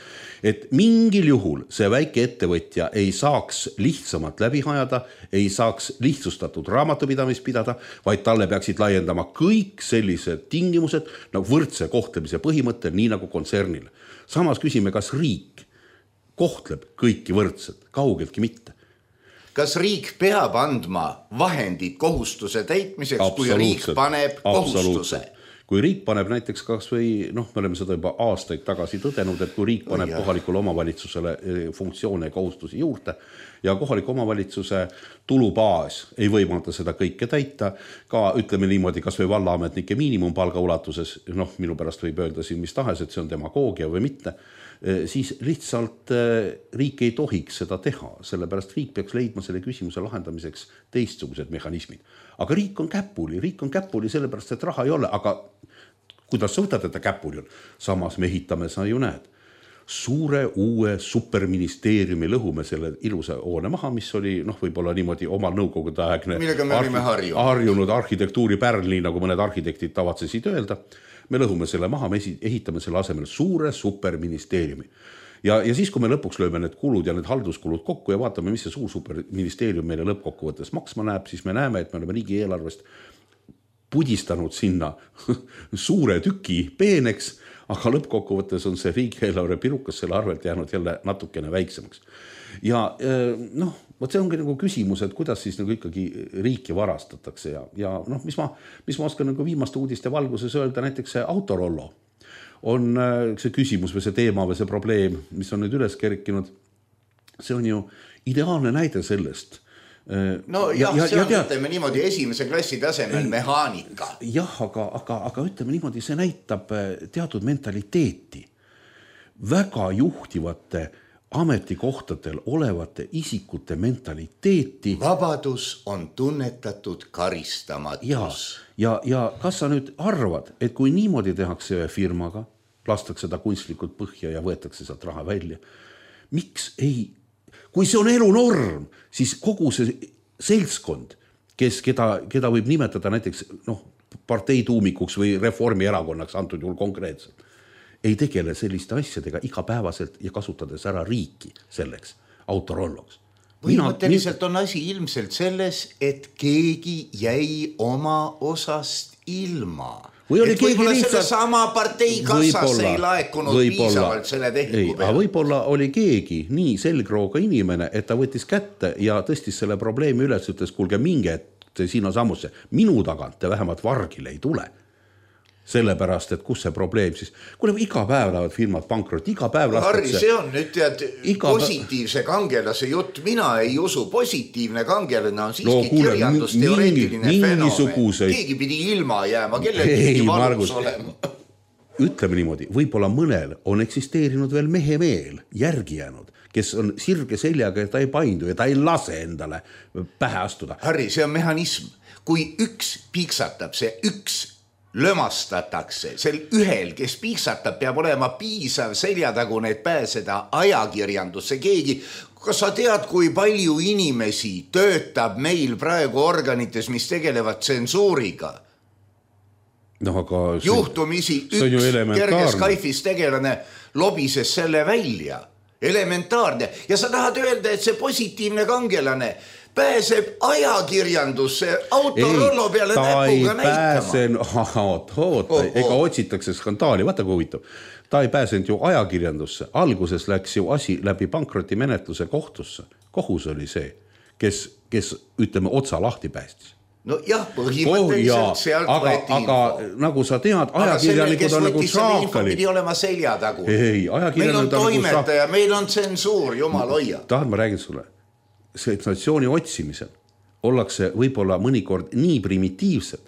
Et mingil juhul see väike ettevõtja ei saaks lihtsamalt läbi hajada, ei saaks lihtsustatud raamatupidamist pidada, vaid talle peaksid laiendama kõik sellised tingimused nagu võrdse kohtlemise põhimõttel, nii nagu kontsernil. Samas küsime, kas riik kohtleb kõiki võrdselt, kaugeltki mitte. Kas riik peab andma vahendid kohustuse täitmiseks, kui riik paneb kohustuse? Kui riik paneb näiteks kas või, me oleme seda juba aastaid tagasi tõdenud, et kui riik paneb kohalikule omavalitsusele funktsioone ja kohustusi juurde ja kohaliku omavalitsuse tulubaas ei võimalda seda kõike täita, ka ütleme niimoodi, kas või vallaametnike miinimumpalga ulatuses, minu pärast võib öelda siin mis tahes, et see on demagoogia või mitte, siis lihtsalt riik ei tohiks seda teha, sellepärast riik peaks leidma selle küsimuse lahendamiseks teistsugused mehhanismid. Aga riik on käpuli sellepärast, et raha ei ole, aga kuidas sa võtad, et ta käpuli on? Samas me ehitame, sa ju näed, suure uue superministeeriumi lõhume selle ilusa hoone maha, mis oli võib-olla niimoodi omal nõukogude aegne harjunud arhitektuuri pärl, nii nagu mõned arhitektid tavatsesid öelda. Me lõhume selle maha, me ehitame selle asemel suure superministeeriumi. Ja siis, kui me lõpuks lööme need kulud ja need halduskulud kokku ja vaatame, mis see suur superministeerium meile lõppkokkuvõttes maksma näeb, siis me näeme, et me oleme riigi eelarvest pudistanud sinna suure tüki peeneks, aga lõppkokkuvõttes on see riigieelarve pirukas selle arvelt jäänud jälle natukene väiksemaks. Ja vot see ongi nagu küsimus, et kuidas siis nagu ikkagi riiki varastatakse ja mis ma oskan nagu viimaste uudiste valguses öelda, näiteks see Autorollo on see küsimus või see teema või see probleem, mis on nüüd üles kerkinud, see on ju ideaalne näide sellest. See on, ütleme niimoodi, esimese klassi tasemel mehaanika. Jah, aga ütleme niimoodi, see näitab teatud mentaliteeti. Väga juhtivate ametikohtadel olevate isikute mentaliteeti. Vabadus on tunnetatud karistamatus. Ja kas sa nüüd arvad, et kui niimoodi tehakse ühe firmaga, lastakse ta kunstlikult põhja ja võetakse sealt raha välja, miks ei, kui see on elunorm, siis kogu see seltskond, keda võib nimetada näiteks parteituumikuks või Reformierakonnaks antud juhul konkreetselt, ei tegele selliste asjadega igapäevaselt ja kasutades ära riiki selleks Autorolloks. Põhimõtteliselt on asi ilmselt selles, et keegi jäi oma osast ilma. Või oli keegi lihtsalt sama partei kassasse ei laekunud piisavalt selle tehingu peale. Võib-olla oli keegi nii selgrooga inimene, et ta võttis kätte ja tõstis selle probleemi üles, ütles, kuulge minge sinna sammusse. Minu tagant te vähemalt vargile ei tule. Sellepärast, et kus see probleem siis... Kuule, iga päev lähevad firmad pankrot, iga päev lastakse... Harri, see on nüüd tead positiivse kangelase jutt. Mina ei usu, positiivne kangelane on siiski kirjandusteoreetiline fenomen. Keegi pidi ilma jääma, kellel pidi valus olema. Ütleme niimoodi, võib-olla mõnel on eksisteerinud veel mehe meel, järgi jäänud, kes on sirge seljaga ja ta ei paindu ja ta ei lase endale pähe astuda. Harri, see on mehhanism. Kui üks piiksatab, see üks lömastatakse. Sel ühel, kes piiksatab, peab olema piisav seljatagu need pääseda ajakirjandusse. Keegi, kas sa tead, kui palju inimesi töötab meil praegu organites, mis tegelevad tsensuuriga? No, aga juhtumisi üks kerge Skype'is tegelane lobises selle välja. Elementaarne. Ja sa tahad öelda, et see positiivne kangelane pääseb ajakirjandusse autorollo peale näpuga näitama. Oota, ega otsitakse skandaali, vaata kui huvitav. Ta ei pääsenud ju ajakirjandusse. Alguses läks ju asi läbi pankrotimenetluse kohtusse. Kohus oli see, kes ütleme, otsa lahti päästis. No jah, põhimõtteliselt sealt võeti info. Aga nagu sa tead, ajakirjanikud on nagu šaakali. Pidi olema seljatagu. Ei, meil on toimetaja, meil on tsensuur, jumal hoia. Tahan ma räägin sulle. Sensatsiooni otsimisel ollakse võib-olla mõnikord nii primitiivsed,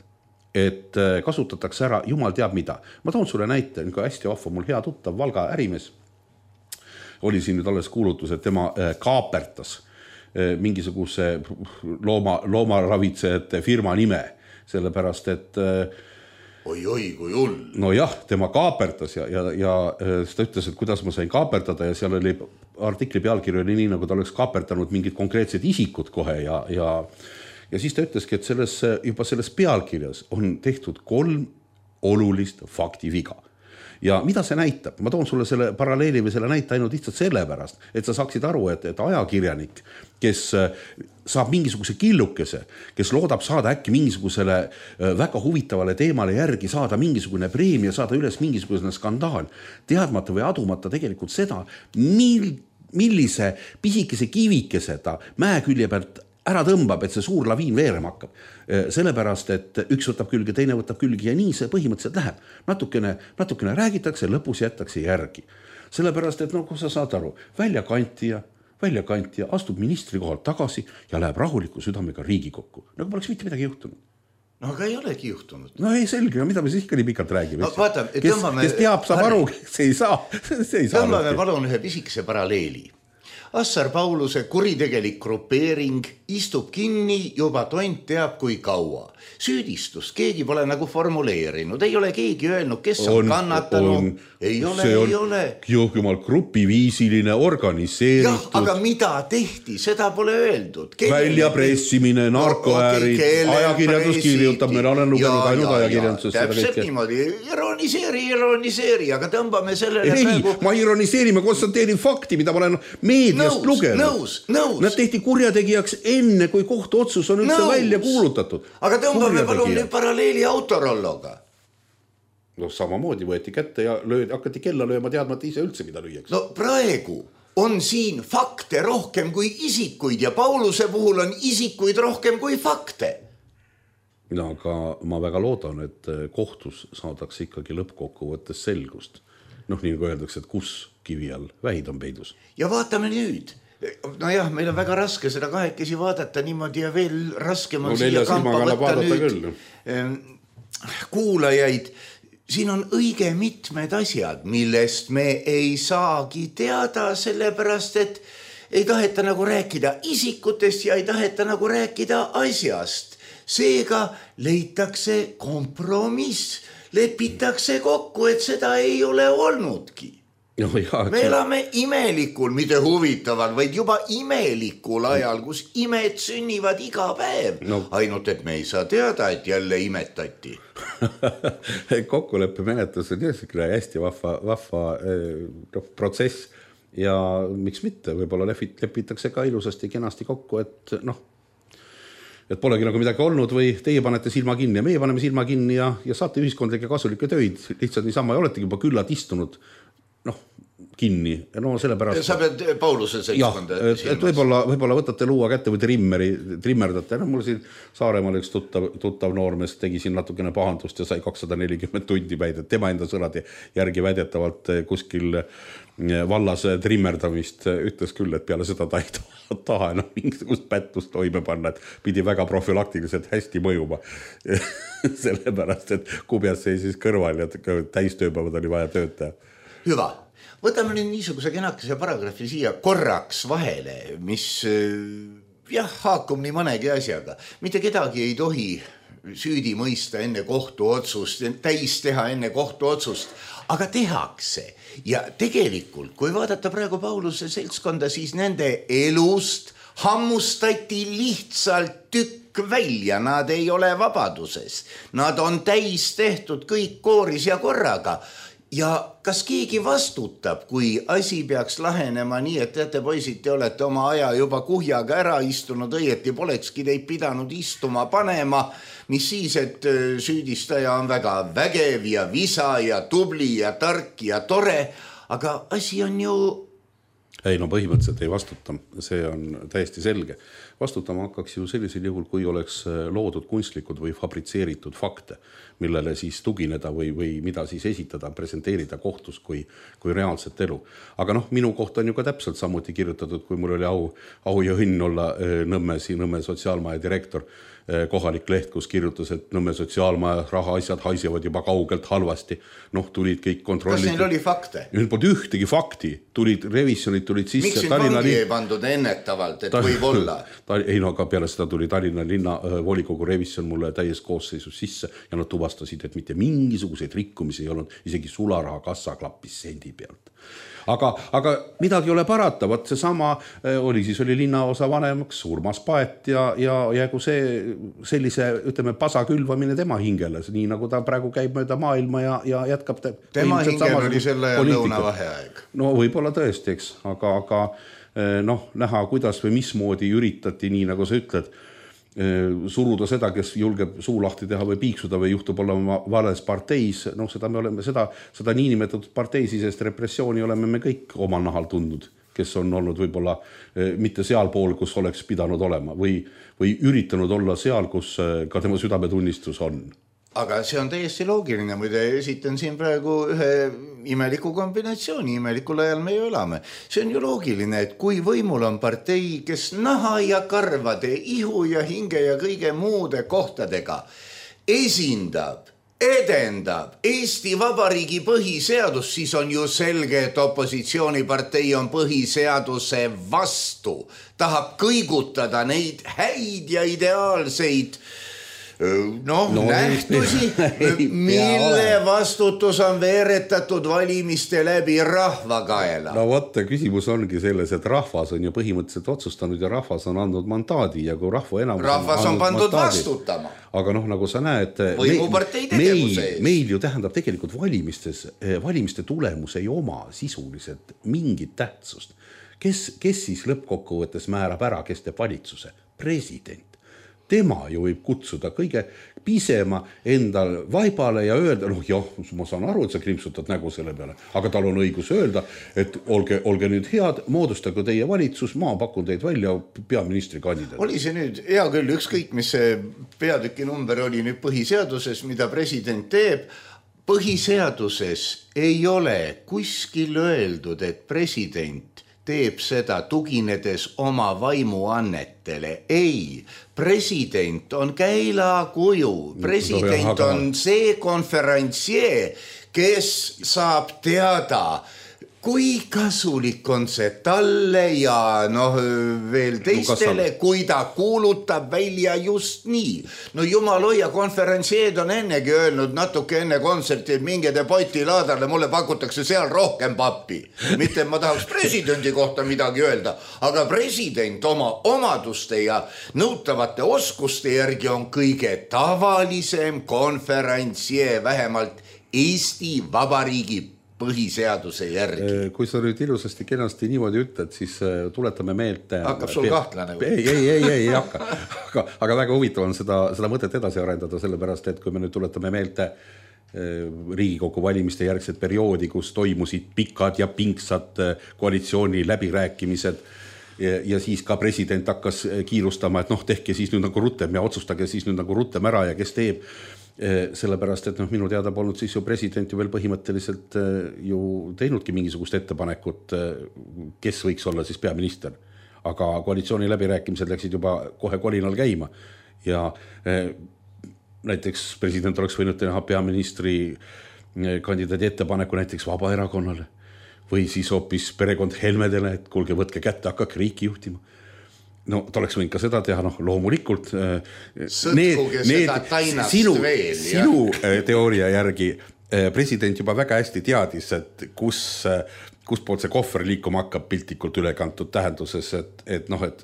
et kasutatakse ära jumal teab mida. Ma toon sulle näite, hästi vahva, mul hea tuttav Valga ärimees oli siin nüüd alles kuulutus, et tema kaapertas mingisuguse loomaravitsejate firma nime, sellepärast, et oi, kui hull. No jah, tema kaapertas ja ta ütles, et kuidas ma sain kaapertada ja seal oli artikli pealkiri oli nii, nagu ta oleks kaapertanud mingid konkreetsed isikud kohe ja siis ta ütleski, et juba selles pealkirjas on tehtud 3 olulist faktiviga. Ja mida see näitab? Ma toon sulle selle paralleeli või selle näite ainult lihtsalt sellepärast, et sa saaksid aru, et ajakirjanik, kes saab mingisuguse killukese, kes loodab saada äkki mingisugusele väga huvitavale teemale järgi, saada mingisugune preemia, saada üles mingisugune skandaal, teadmata või adumata tegelikult seda, millise pisikese kivikese ta mäekülje pealt ära tõmbab, et see suur laviin veerema hakkab. Sellepärast, et üks võtab külge, teine võtab külge ja nii see põhimõtteliselt läheb. Natukene räägitakse, lõpus jätakse järgi. Sellepärast, et kui sa saad aru, väljakantija astub ministri kohalt tagasi ja läheb rahuliku südamega Riigikokku. Nagu poleks mitte midagi juhtunud. No aga ei olegi juhtunud. No ei selge, mida me siis ikka nii pikalt räägime. No, vaata, kes teab, saab aru, see ei saa. Tõmbame palun ühe pisikese paralleeli. Assar Pauluse kuritegelik grupeering istub kinni juba tont teab kui kaua. Süüdistus keegi pole nagu formuleerinud, ei ole keegi öelnud, kes on kannatanud. Ei ole. Jumal grupiviisiline organiseeritud. Jah, aga mida tehti, seda pole öeldud. Väljapressimine, narkoäärid, ajakirjandus kirjutab, meil olen lugenud ainult ajakirjanduses. Täpselt niimoodi, ironiseeri, aga tõmbame sellele praegu... Ma ironiseerin, ma konstanteerin fakti, mida ma olen meediast lugenud. Nõus. Nad tehti kurjategijaks enne, kui kohtuotsus on üldse välja kuulutatud. Aga tõmbame palun nüüd paralleeli autorolloga. No samamoodi võeti kätte ja hakati kella lööma teadmata ise üldse, mida lüüaks. No praegu on siin fakte rohkem kui isikuid ja Pauluse puhul on isikuid rohkem kui fakte. No aga ma väga loodan, et kohtus saadakse ikkagi lõppkokkuvõttes selgust. Nii nagu öeldakse, et kus kivi all vähid on peidus. Ja vaatame nüüd. No jah, meil on väga raske seda kahekesi vaadata niimoodi ja veel raskem on siia kampa võtta nüüd kuulajaid. Siin on õige mitmed asjad, millest me ei saagi teada, sellepärast, et ei taheta nagu rääkida isikutest ja ei taheta nagu rääkida asjast. Seega leitakse kompromiss, lepitakse kokku, et seda ei ole olnudki. No, me elame imelikul, mitte huvitaval, vaid juba imelikul ajal, kus imed sünnivad iga päev. Ainult, et me ei saa teada, et jälle imetati. Kokkuleppe menetlus on hästi vahva protsess. ja miks mitte, võib-olla lepitakse ka ilusasti kenasti kokku, et polegi nagu midagi olnud või teie panete silma kinni ja meie paneme silma kinni ja saate ühiskondlikke kasulikke töid lihtsalt niisama ja oletegi juba küllad istunud kinni. No sellepärast... Sa pead Pauluse seltskonda silmas. Et võib-olla võtate luua kätte või trimmerdate. Mul siin Saaremaal üks tuttav noormees tegi siin natukene pahandust ja sai 240 tundi päid. Tema enda sõnade järgi väidetavalt kuskil vallas trimmerdamist ütles küll, et peale seda ta ei taha enam mingisugust pättust toime panna, et pidi väga profülaktiliselt hästi mõjuma. Sellepärast, et kubjas seisis kõrval ja täistööpäevad oli vaja töötaja. Hüva. Võtame nüüd niisuguse kenakese paragrahvi siia korraks vahele, mis haakub nii mõnegi asjaga. Mitte kedagi ei tohi süüdi mõista enne kohtuotsust, täis teha enne kohtuotsust, aga tehakse. Ja tegelikult, kui vaadata praegu Pauluse seltskonda, siis nende elust hammustati lihtsalt tükk välja. Nad ei ole vabaduses. Nad on täis tehtud kõik kooris ja korraga. Ja kas keegi vastutab, kui asi peaks lahenema nii, et teate poisid, te olete oma aja juba kuhjaga ära istunud, õieti polekski teid pidanud istuma panema, mis siis, et süüdistaja on väga vägev ja visa ja tubli ja tark ja tore, aga asi on ju... Ei, no põhimõtteliselt ei vastuta, see on täiesti selge. Vastutama hakkaks ju sellisel juhul, kui oleks loodud kunstlikud või fabritseeritud fakte, millele siis tugineda või mida siis esitada, presenteerida kohtus kui reaalset elu. Aga minu kohta on ju ka täpselt samuti kirjutatud, kui mul oli au ja õnn olla Nõmme sotsiaalmaja direktor, kohalik leht, kus kirjutas, et Nõmme sotsiaalmaja rahaasjad haisevad juba kaugelt halvasti. Tulid kõik kontrollid. Kas neil oli fakte? Nüüd polnud ühtegi fakti. Revisjonid tulid sisse. Miks siin vangi ei pandud ennetavalt, et võib olla? Ei, aga peale seda tuli Tallinna linna volikogu revisjon mulle täies koosseisus sisse ja nad tuvastasid, et mitte mingisuguseid rikkumisi ei olnud, isegi sularaha kassa klappis sendi pealt. Aga midagi ei ole parata, vaat see sama oli linnaosa vanemaks Urmas Paet ja kui sellise, ütleme, pasa külvamine tema hingele, nii nagu ta praegu käib mööda maailma ja jätkab. Tema hingel oli selle ja lõunavaheaeg. No võib-olla tõesti, eks, aga näha, kuidas või mismoodi üritati, nii nagu sa ütled, suruda seda, kes julgeb suu lahti teha või piiksuda või juhtub olema vales parteis, seda me oleme, seda niinimetatud parteisisest repressiooni oleme me kõik omal nahal tundnud, kes on olnud võib-olla mitte seal pool, kus oleks pidanud olema või üritanud olla seal, kus ka tema südametunnistus on. Aga see on täiesti loogiline, muide esitan siin praegu ühe imeliku kombinatsiooni, imelikul ajal me ju elame. See on ju loogiline, et kui võimul on partei, kes naha ja karvade, ihu ja hinge ja kõige muude kohtadega esindab, edendab Eesti Vabariigi põhiseadus, siis on ju selge, et opositsioonipartei on põhiseaduse vastu. Tahab kõigutada neid häid ja ideaalseid nähtusi, mille vastutus on veeretatud valimiste läbi rahva kaela. No võtta, küsimus ongi selles, et rahvas on ju põhimõtteliselt otsustanud ja rahvas on andnud mandaadi ja kui rahvas on pandud mandaadi, vastutama. Aga nagu sa näed, meil ju tähendab tegelikult valimiste tulemus ei oma sisuliselt mingit tähtsust. Kes siis lõppkokkuvõttes määrab ära, kes teeb valitsuse? President. Tema ju võib kutsuda kõige pisema endal vaibale ja öelda, ma saan aru, et sa krimpsutad nägu selle peale, aga tal on õigus öelda, et olge nüüd head, moodustage teie valitsus, ma pakun teid välja peaministri kandidaat. Oli see nüüd, hea küll, ükskõik, mis see peatüki number oli nüüd põhiseaduses, mida president teeb, põhiseaduses ei ole kuskil öeldud, et president teeb seda tuginedes oma vaimuannetele. Ei, president on käilakuju. President on see konferentsier, kes saab teada, kui kasulik on see talle ja veel teistele, kui ta kuulutab välja just nii. Jumal hoia, konferentsied on ennegi öelnud natuke enne kontserti, et minge te Poti laadarle, mulle pakutakse seal rohkem pappi. Mitte ma tahaks presidendi kohta midagi öelda, aga president oma omaduste ja nõutavate oskuste järgi on kõige tavalisem konferentsier, vähemalt Eesti Vabariigi põhiseaduse järgi. Kui sa nüüd ilusasti kenasti niimoodi ütled, siis tuletame meelde... Hakkab sul kahtlane või? Ei hakka. Aga väga huvitav on seda mõtet edasi arendada, sellepärast, et kui me nüüd tuletame meelde Riigikogu valimiste järgset perioodi, kus toimusid pikad ja pingsad koalitsiooni läbirääkimised ja siis ka president hakkas kiirustama, et tehke siis nüüd nagu rutem ja otsustage siis nüüd nagu rutem ära ja kes teeb. Sellepärast, et minu teada polnud siis ju president ju veel põhimõtteliselt ju teinudki mingisugust ettepanekut, kes võiks olla siis peaminister. Aga koalitsiooni läbirääkimised läksid juba kohe kolinal käima ja näiteks president oleks võinud teha peaministri kandidaadi ettepaneku näiteks Vabaerakonnale või siis hoopis perekond Helmedele, et kuulge, võtke kätte, hakkake riiki juhtima. No ta oleks võinud ka seda teha, loomulikult sinu teooria järgi president juba väga hästi teadis, et kus poolt see kohver liikuma hakkab piltlikult ülekantud tähenduses, et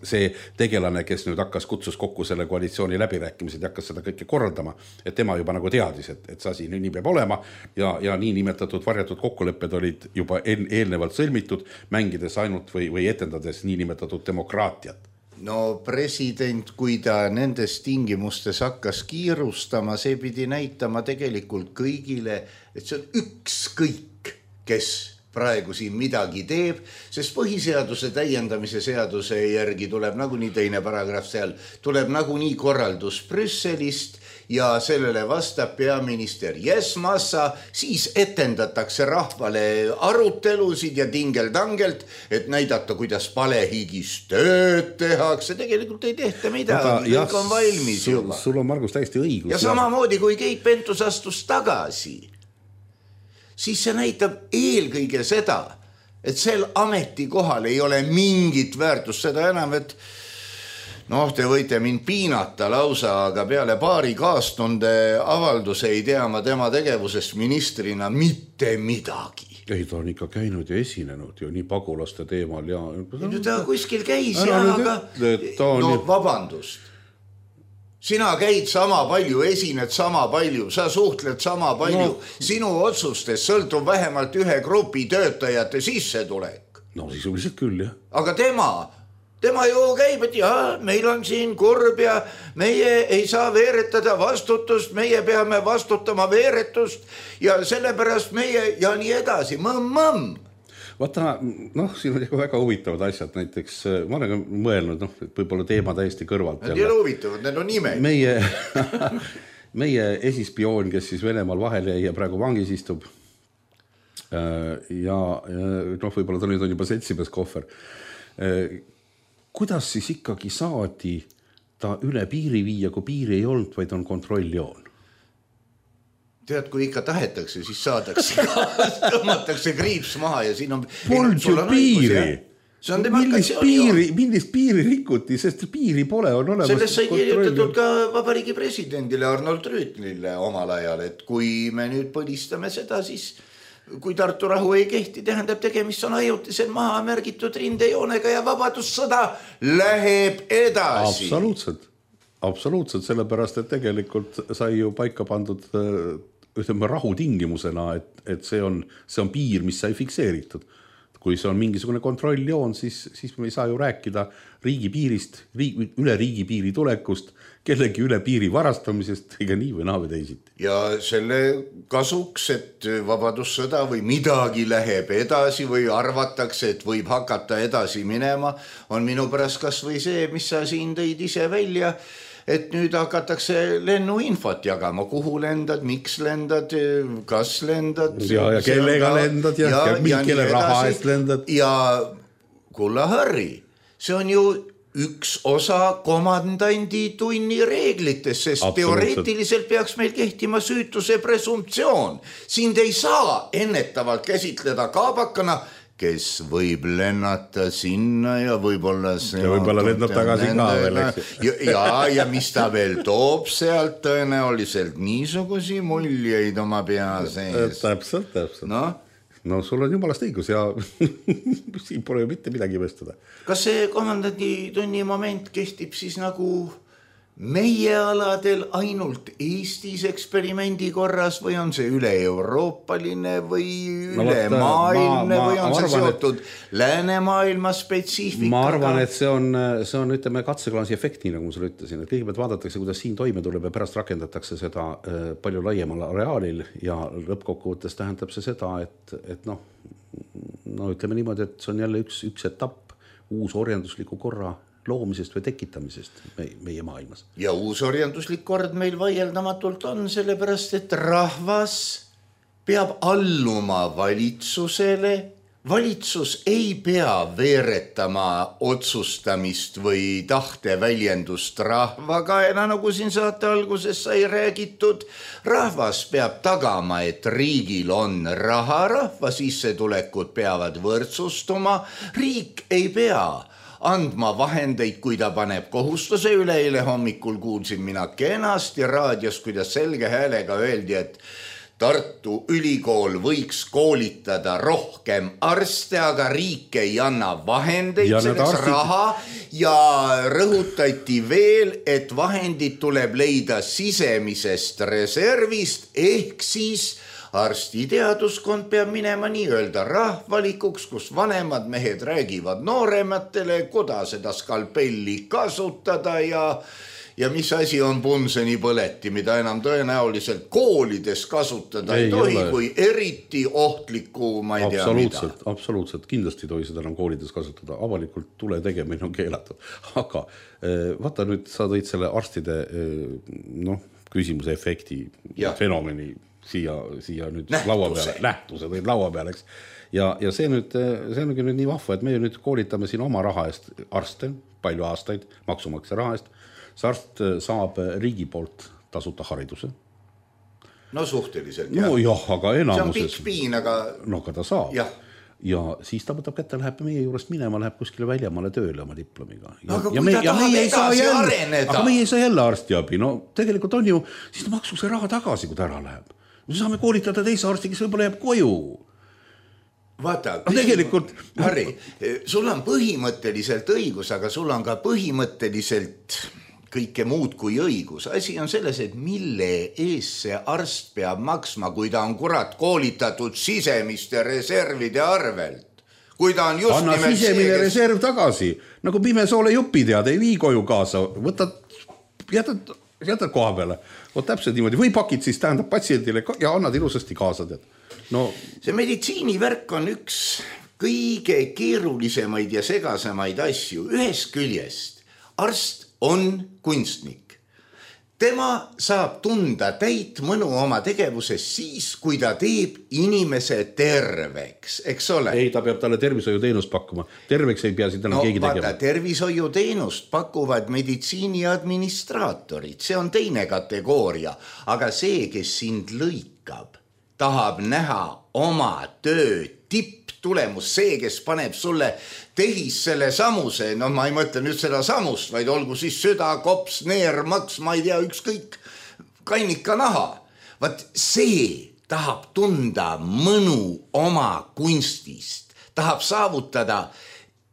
see tegelane, kes nüüd kutsus kokku selle koalitsiooni läbirääkimised ja hakkas seda kõike korraldama, et tema juba nagu teadis, et see asi nii peab olema ja nii nimetatud varjatud kokkulepped olid juba eelnevalt sõlmitud, mängides ainult või etendades nii nimetatud demokraatiat. No president, kui ta nendes tingimustes hakkas kiirustama, see pidi näitama tegelikult kõigile, et see on ükskõik, kes praegu siin midagi teeb, sest põhiseaduse täiendamise seaduse järgi tuleb nagunii teine paragrahv seal, tuleb nagunii korraldus Brüsselist ja sellele vastab peaminister Massa, siis etendatakse rahvale arutelusid ja tingeldangelt, et näidata, kuidas palehigis tööd tehakse. Tegelikult ei tehta midagi, kõik on valmis juba. Sul on, Margus, täiesti õigus. Ja samamoodi, kui Keit Pentus astus tagasi, siis see näitab eelkõige seda, et sel ametikohal ei ole mingit väärtust, seda enam, et te võite mind piinata lausa, aga peale paari kaastunde avalduse ei tea ma tema tegevusest ministrina mitte midagi. Ei, ta on ikka käinud ja esinenud ju nii pagulaste teemal ja... Ta kuskil käis aga... vabandust. Sina käid sama palju, esined sama palju, sa suhtled sama palju. Sinu otsustest sõltub vähemalt ühe grupi töötajate sissetulek. No sisuliselt küll, jah. Aga tema ju käib, et meil on siin kurb ja meie ei saa veeretada vastutust, meie peame vastutama veeretust ja sellepärast meie ja nii edasi. Mõmm. Vaata, siin on väga huvitavad asjad, näiteks ma olen mõelnud, võib-olla teema täiesti kõrvalt. Need ei ole huvitavad, need on nimed. Meie esispioon, kes siis Venemaal vahel jäi ja praegu vangis istub ja võib-olla ta nüüd on juba seltsimees kohver. Kuidas siis ikkagi saadi ta üle piiri viia, kui piiri ei olnud, vaid on kontrolljoon? Tead, kui ikka tahetakse, siis saadakse tõmmatakse kriips maha ja siin on... Polnud ju piiri. Millist piiri rikuti, sest piiri pole, on olemas... Sellest sai kirjutatud ka vabariigi presidendile Arnold Rüütlile omal ajal, et kui me nüüd põlistame seda, siis kui Tartu rahu ei kehti, tähendab tegemist on ajutisel maha märgitud rindejoonega ja vabadussõda läheb edasi. Absoluutselt, sellepärast, et tegelikult sai ju paika pandud rahu tingimusena, et see on piir, mis sai fikseeritud. Kui see on mingisugune kontrolljoon, siis me ei saa ju rääkida riigipiirist, üle riigipiiri tulekust, kellegi üle piiri varastamisest, ega nii või naa või teisiti. Ja selle kasuks, et vabadussõda või midagi läheb edasi või arvatakse, et võib hakata edasi minema, on minu pärast kas või see, mis sa siin tõid ise välja, et nüüd hakatakse lennuinfot jagama, kuhu lendad, miks lendad, kas lendad. Ja kellega lendad ja kelle raha eest lendad. Ja kulla Harri, see on ju üks osa komandandi tunni reeglitest, sest teoreetiliselt peaks meil kehtima süütuse presumptsioon. Sind ei saa ennetavalt käsitleda kaabakana, kes võib lennata sinna ja võib-olla see... Ja võib-olla lendab tagasi ka veel, eks. Ja mis ta veel toob sealt tõenäoliselt niisugusi muljeid oma pea sees. Täpselt. No sul on jumalast õigus ja siin pole ju mitte midagi imestada. Kas see komandandi tunni moment kehtib siis nagu meie aladel ainult Eestis eksperimendi korras või on see üle-euroopaline või ülemaailmne või on see seotud läänemaailma spetsiifikaga? Ma arvan, et see on ütleme katseklaasi efekt, nii nagu ma sulle ütlesin, et kõigepealt vaadatakse, kuidas siin toime tuleb ja pärast rakendatakse seda palju laiemal areaalil ja lõppkokkuvõttes tähendab see seda, et no ütleme niimoodi, et see on jälle üks etapp uus orjandusliku korra loomisest või tekitamisest meie maailmas. Ja uus orjanduslik kord meil vaieldamatult on, sellepärast, et rahvas peab alluma valitsusele. Valitsus ei pea veeretama otsustamist või tahteväljendust rahvaga, nagu siin saate alguses sai räägitud. Rahvas peab tagama, et riigil on raha, rahva sissetulekud peavad võrdsustuma. Riik ei pea andma vahendeid, kui ta paneb kohustuse. Üleeile hommikul kuulsin mina kenasti raadios, kuidas selge häälega öeldi, et Tartu Ülikool võiks koolitada rohkem arste, aga riik ei anna vahendeid, selleks raha ja rõhutati veel, et vahendid tuleb leida sisemisest reservist ehk siis arstiteaduskond peab minema nii-öelda rahvalikuks, kus vanemad mehed räägivad noorematele, kuidas seda skalpelli kasutada ja mis asi on Bunzeni põleti, mida enam tõenäoliselt koolides kasutada ei tohi, kui eriti ohtliku, ma ei tea mida. Absoluutselt, kindlasti ei tohi seda enam koolides kasutada. Avalikult tule tegemine on keelatud. Aga vaata nüüd, sa tõid selle arstide küsimuse efekti fenomeni siia nüüd laua peale, nähtuse tõid laua peale, eks. Ja see ongi nüüd nii vahva, et me nüüd koolitame siin oma raha eest arste, palju aastaid, maksumaksja raha eest. See arst saab riigi poolt tasuta hariduse. No suhteliselt, jah. No jah, aga enamuses. See on pikk piin, aga... No aga ta saab. Ja siis ta võtab kätte, läheb meie juurest minema, läheb kuskile väljamaale tööle oma diplomiga. Aga kui ta tahab edasi areneda. Aga meie ei saa jälle arstiabi. No tegelikult on ju, siis ta maksub see raha tagasi, kui ta ära läheb. Me saame koolitada teise arsti, kes võib-olla jääb koju. Vaata, tegelikult... Harri, sul on põhimõtteliselt õigus, aga sul on ka põhimõtteliselt kõike muud kui õigus. Asi on selles, et mille ees see arst peab maksma, kui ta on kurat koolitatud sisemiste reservide arvelt. Kui ta on just anna sisemine reserv tagasi, nagu Pimesoole jupi tead, ei vii koju kaasa, jätad koha peale, täpselt niimoodi, või pakid siis tähendab patsiendile ja annad ilusasti kaasa tead. No. See meditsiinivärk on üks kõige keerulisemaid ja segasemaid asju. Ühest küljest arst on kunstnik. Tema saab tunda täit mõnu oma tegevuses siis, kui ta teeb inimese terveks, eks ole? Ei, ta peab talle tervishoiuteenust pakkuma. Terveks ei pea siit enam keegi tegema. Tervishoiuteenust pakuvad meditsiini administraatorid. See on teine kategooria. Aga see, kes sind lõikab, tahab näha oma töö tipptulemus, see, kes paneb sulle tehis selle samuse, ma ei mõtle nüüd seda samust, vaid olgu siis süda, kops, neer, maks, ma ei tea, ükskõik, kannika naha. Vaat see tahab tunda mõnu oma kunstist, tahab saavutada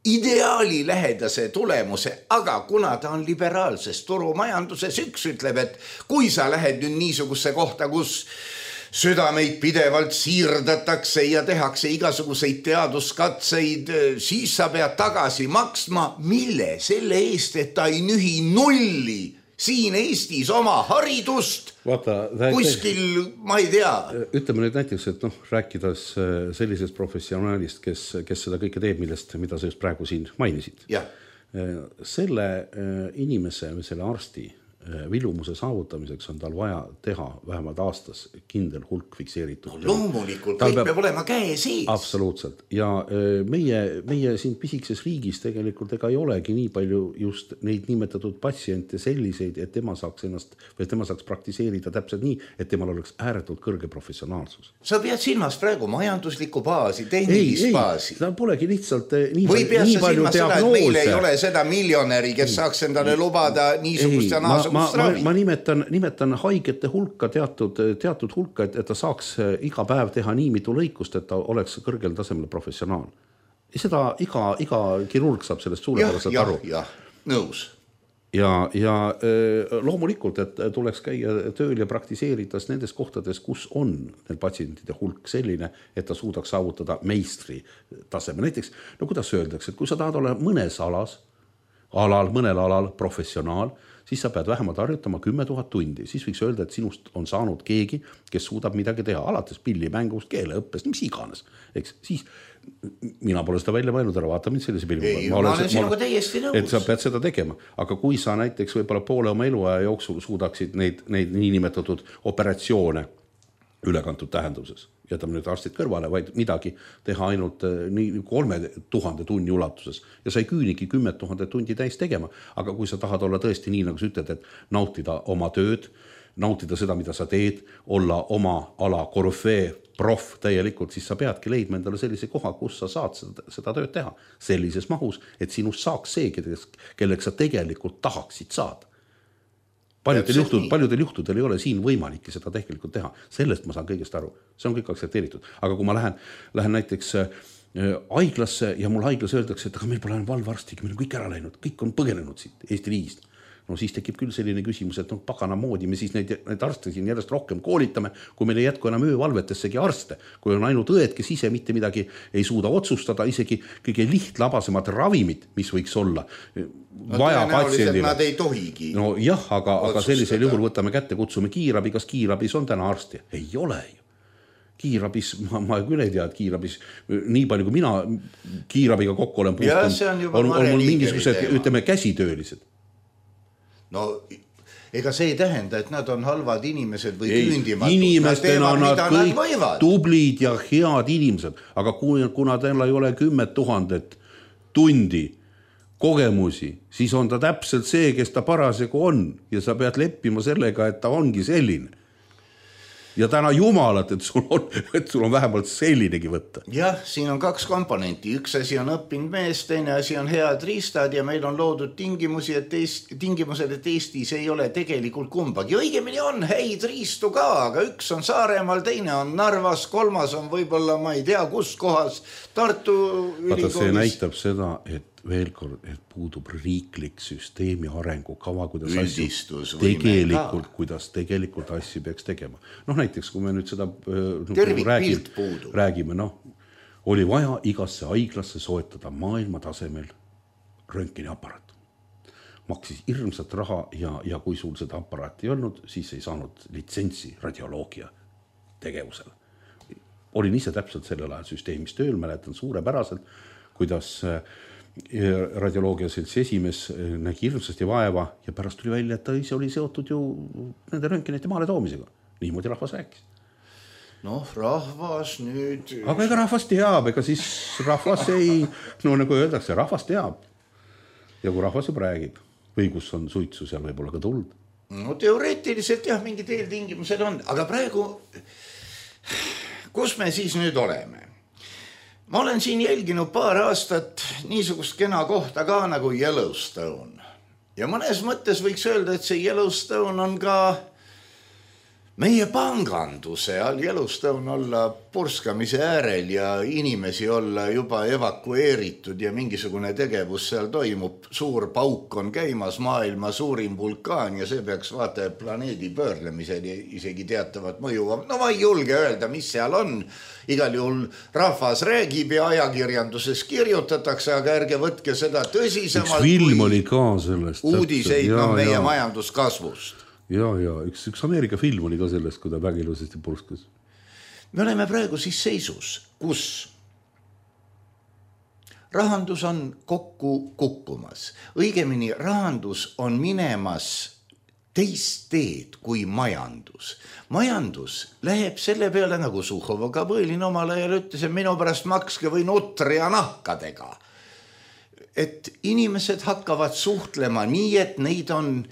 ideaali lähedase tulemuse, aga kuna ta on liberaalses turumajanduses, üks ütleb, et kui sa lähed nüüd niisugusse kohta, kus südameid pidevalt siirdatakse ja tehakse igasuguseid teaduskatseid, siis sa pead tagasi maksma, mille selle eest, et ta ei nühi nulli siin Eestis oma haridust. Kuskil, ma ei tea. Ütleme nüüd näiteks, et rääkides sellisest professionaalist, kes seda kõike teeb, mida sa just praegu siin mainisid. Selle inimese või selle arsti vilumuse saavutamiseks on tal vaja teha vähemalt aastas kindel hulk fikseeritud. No loomulikult, kõik peab olema käe sees. Absoluutselt. Ja meie siin pisikses riigis tegelikult ega ei olegi nii palju just neid nimetatud patsiente selliseid, et tema saaks praktiseerida täpselt nii, et temal oleks ääretult kõrge professionaalsus. Sa pead silmas praegu majanduslikku baasi, tehnilist baasi. Ta polegi lihtsalt või pead sa silmas seda, et meil ei ole seda miljonäri, kes saaks endale lubada niisugust ja naasugust ma nimetan haigete hulka teatud hulka, et ta saaks iga päev teha nii mitu lõikust, et ta oleks kõrgel tasemel professionaal. Ja seda iga kirurg saab sellest suurepäraselt aru. Jah, nõus. ja loomulikult, et tuleks käia tööl ja praktiseerides nendes kohtades, kus on need patsientide hulk selline, et ta suudaks saavutada meistri taseme. Näiteks, no kuidas öeldakse, et kui sa tahad olla mõnel alal professionaal, siis sa pead vähemalt harjutama 10 000 tundi. Siis võiks öelda, et sinust on saanud keegi, kes suudab midagi teha, alates pillimängust, keeleõppest, mis iganes. Eks siis mina pole seda välja mõelnud, ära vaata mind sellise pilli. Ei, ma olen sinuga täiesti nõus. Et sa pead seda tegema. Aga kui sa näiteks võib-olla poole oma eluaja jooksul suudaksid neid niinimetatud operatsioone ülekantud tähenduses, jätame nüüd arstid kõrvale, vaid midagi teha ainult 3000 tunni ulatuses ja sa ei küünigi 10 000 tundi täis tegema. Aga kui sa tahad olla tõesti nii, nagu sa ütled, et nautida oma tööd, nautida seda, mida sa teed, olla oma ala korüfee, prof täielikult, siis sa peadki leidma endale sellise koha, kus sa saad seda tööd teha sellises mahus, et sinust saaks see, kelleks sa tegelikult tahaksid saada. Paljudel juhtudel ei ole siin võimalik seda tegelikult teha. Sellest ma saan kõigest aru. See on kõik aksepteeritud. Aga kui ma lähen näiteks haiglasse ja mul haiglas öeldakse, et aga meil pole valvarstigi, meil on kõik ära läinud, kõik on põgenenud siit Eesti riigist. No siis tekib küll selline küsimus, et pagana moodi me siis neid arste siin järjest rohkem koolitame, kui meil ei jätku enam öövalvetessegi arste, kui on ainult õed, kes ise mitte midagi ei suuda otsustada, isegi kõige lihtlabasemad ravimid, mis võiks olla vaja patsiendile. Nad ei tohigi. No jah, aga sellisel juhul võtame kätte, kutsume kiirabi, kas kiirabis on täna arsti? Ei ole ju. Kiirabis, ma küll ei tea, et kiirabis, nii palju kui mina kiirabiga kokku olen puhtunud, on mul mingisugused, ütleme, käsitöölised. No, ega see ei tähenda, et nad on halvad inimesed või küündimatud. Inimestena nad kõik tublid ja head inimesed, aga kuna teil ei ole 10 000 tundi kogemusi, siis on ta täpselt see, kes ta parasjagu on ja sa pead leppima sellega, et ta ongi selline. Ja täna jumalat, et sul on vähemalt sellinegi võtta. Jah, siin on 2 komponenti. Üks asi on õppinud mees, teine asi on head riistad ja meil on loodud tingimused, et Eestis ei ole tegelikult kumbagi. Õigemini on häid riistu ka, aga üks on Saaremaal, teine on Narvas, 3 on võib-olla, ma ei tea, kus kohas, Tartu ülikoolis. Vaata, see näitab seda, et veel kord, et puudub riiklik süsteemi arengukava, kuidas tegelikult asju peaks tegema. Noh, näiteks, kui me nüüd seda räägime, oli vaja igasse haiglasse soetada maailma tasemel röntgeni aparaat. Maksis hirmsat raha ja kui sul seda aparaati ei olnud, siis ei saanud litsentsi radioloogia tegevusele. Olin ise täpselt sellel ajal süsteemis tööl, mäletan suurepäraselt, kuidas radioloogia seltsi esimees nägi hirmsasti vaeva ja pärast tuli välja, et ta ise oli seotud ju nende röntgenite maale toomisega. Niimoodi rahvas rääkis. Noh, rahvas nüüd... Aga ega rahvas teab, ega siis rahvas ei... No nagu öeldakse, rahvas teab. Ja kui rahvas juba räägib, või kus on suitsu, seal võib olla ka tuld. No teoreetiliselt jah, mingid eeltingimused on, aga praegu... Kus me siis nüüd oleme? Ma olen siin jälginud paar aastat niisugust kena kohta ka nagu Yellowstone. Ja mõnes mõttes võiks öelda, et see Yellowstone on ka meie panganduse all. Yellowstone olla purskamise äärel ja inimesi olla juba evakueeritud ja mingisugune tegevus seal toimub. Suur pauk on käimas, maailma suurim vulkaan ja see peaks vaata planeedi pöörlemiseni isegi teatavat mõju. No ma ei julge öelda, mis seal on. Igal juhul rahvas räägib ja ajakirjanduses kirjutatakse, aga ärge võtke seda tõsisemalt. Üks film oli ka sellest. Uudiseid meie majanduskasvust. Ja, üks Ameerika film oli ka sellest, kui ta vägilusesti purskas. Me oleme praegu siis seisus, kus rahandus on kokku kukkumas. Õigemini rahandus on minemas teist teed kui majandus. Majandus läheb selle peale, nagu Suhhov ka Põõlin omal ajal ütles, et minu pärast makske või nutri ja nahkadega. Et inimesed hakkavad suhtlema nii, et neid on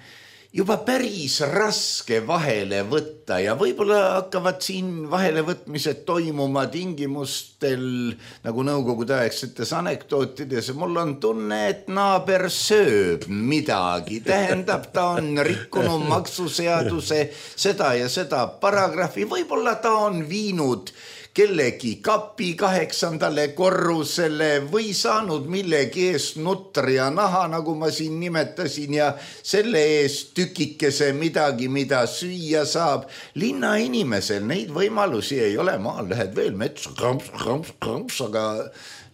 juba päris raske vahele võtta ja võib-olla hakkavad siin vahelevõtmised toimuma tingimustel, nagu nõukogude aegsetes anekdootides. Mul on tunne, et naaber sööb midagi. Tähendab, ta on rikkunud maksuseaduse seda ja seda paragrahvi. Võib-olla ta on viinud kellegi kapi 8. korrusele või saanud millegi eest nutri ja naha, nagu ma siin nimetasin, ja selle eest tükikese midagi, mida süüa saab. Linna inimesel neid võimalusi ei ole, maal lähed veel metsa, kramps, aga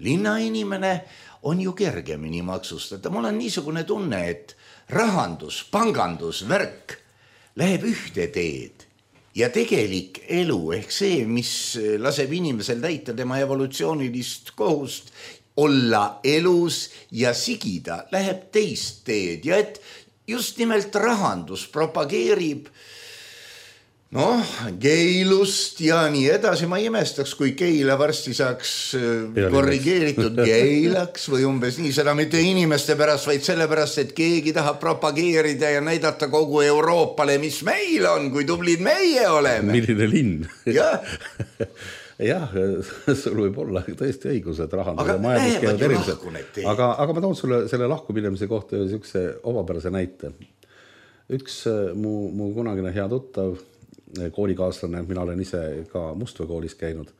linna inimene on ju kergemini maksustada. Mul on niisugune tunne, et rahandus, pangandus, värk läheb ühte teed ja tegelik elu ehk see, mis laseb inimesel täita tema evolutsioonilist kohust olla elus ja sigida, läheb teist teed ja et just nimelt rahandus propageerib geilust ja nii edasi. Ma imestaks, kui geila varsti saaks korrigeeritud geilaks või umbes nii, seda mitte inimeste pärast, vaid sellepärast, et keegi tahab propageerida ja näidata kogu Euroopale, mis meil on, kui tublid meie oleme. Milline linn. Jah. Jah, sul võib olla tõesti õigus, et rahandus ja majandus käivad erilised. Aga ma toon sulle selle lahkuminemise kohta üks omapärase näite. Üks mu kunagine hea tuttav, koolikaaslane, mina olen ise ka Mustvee koolis käinud,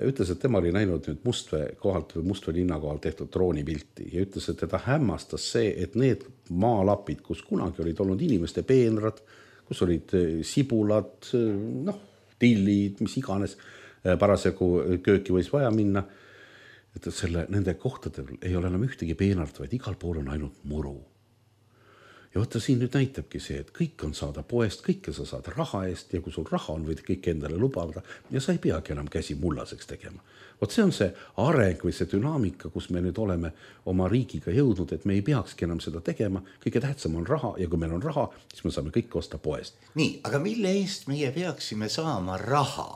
ütles, et tema oli näinud nüüd Mustvee kohalt või Mustvee linna kohalt tehtud droonipilti ja ütles, et teda hämmastas see, et need maalapid, kus kunagi olid olnud inimeste peenrad, kus olid sibulad, tillid, mis iganes, parasjagu kööki võis vaja minna, et nende kohtadel ei ole enam ühtegi peenart, vaid igal pool on ainult muru. Ja võtta siin nüüd näitabki see, et kõik on saada poest, kõike sa saad raha eest ja kui sul raha on, võid kõik endale lubada ja sa ei peagi enam käsi mullaseks tegema. Vot see on see areng või see dünaamika, kus me nüüd oleme oma riigiga jõudnud, et me ei peakski enam seda tegema. Kõige tähtsam on raha ja kui meil on raha, siis me saame kõik osta poest. Nii, aga mille eest meie peaksime saama raha?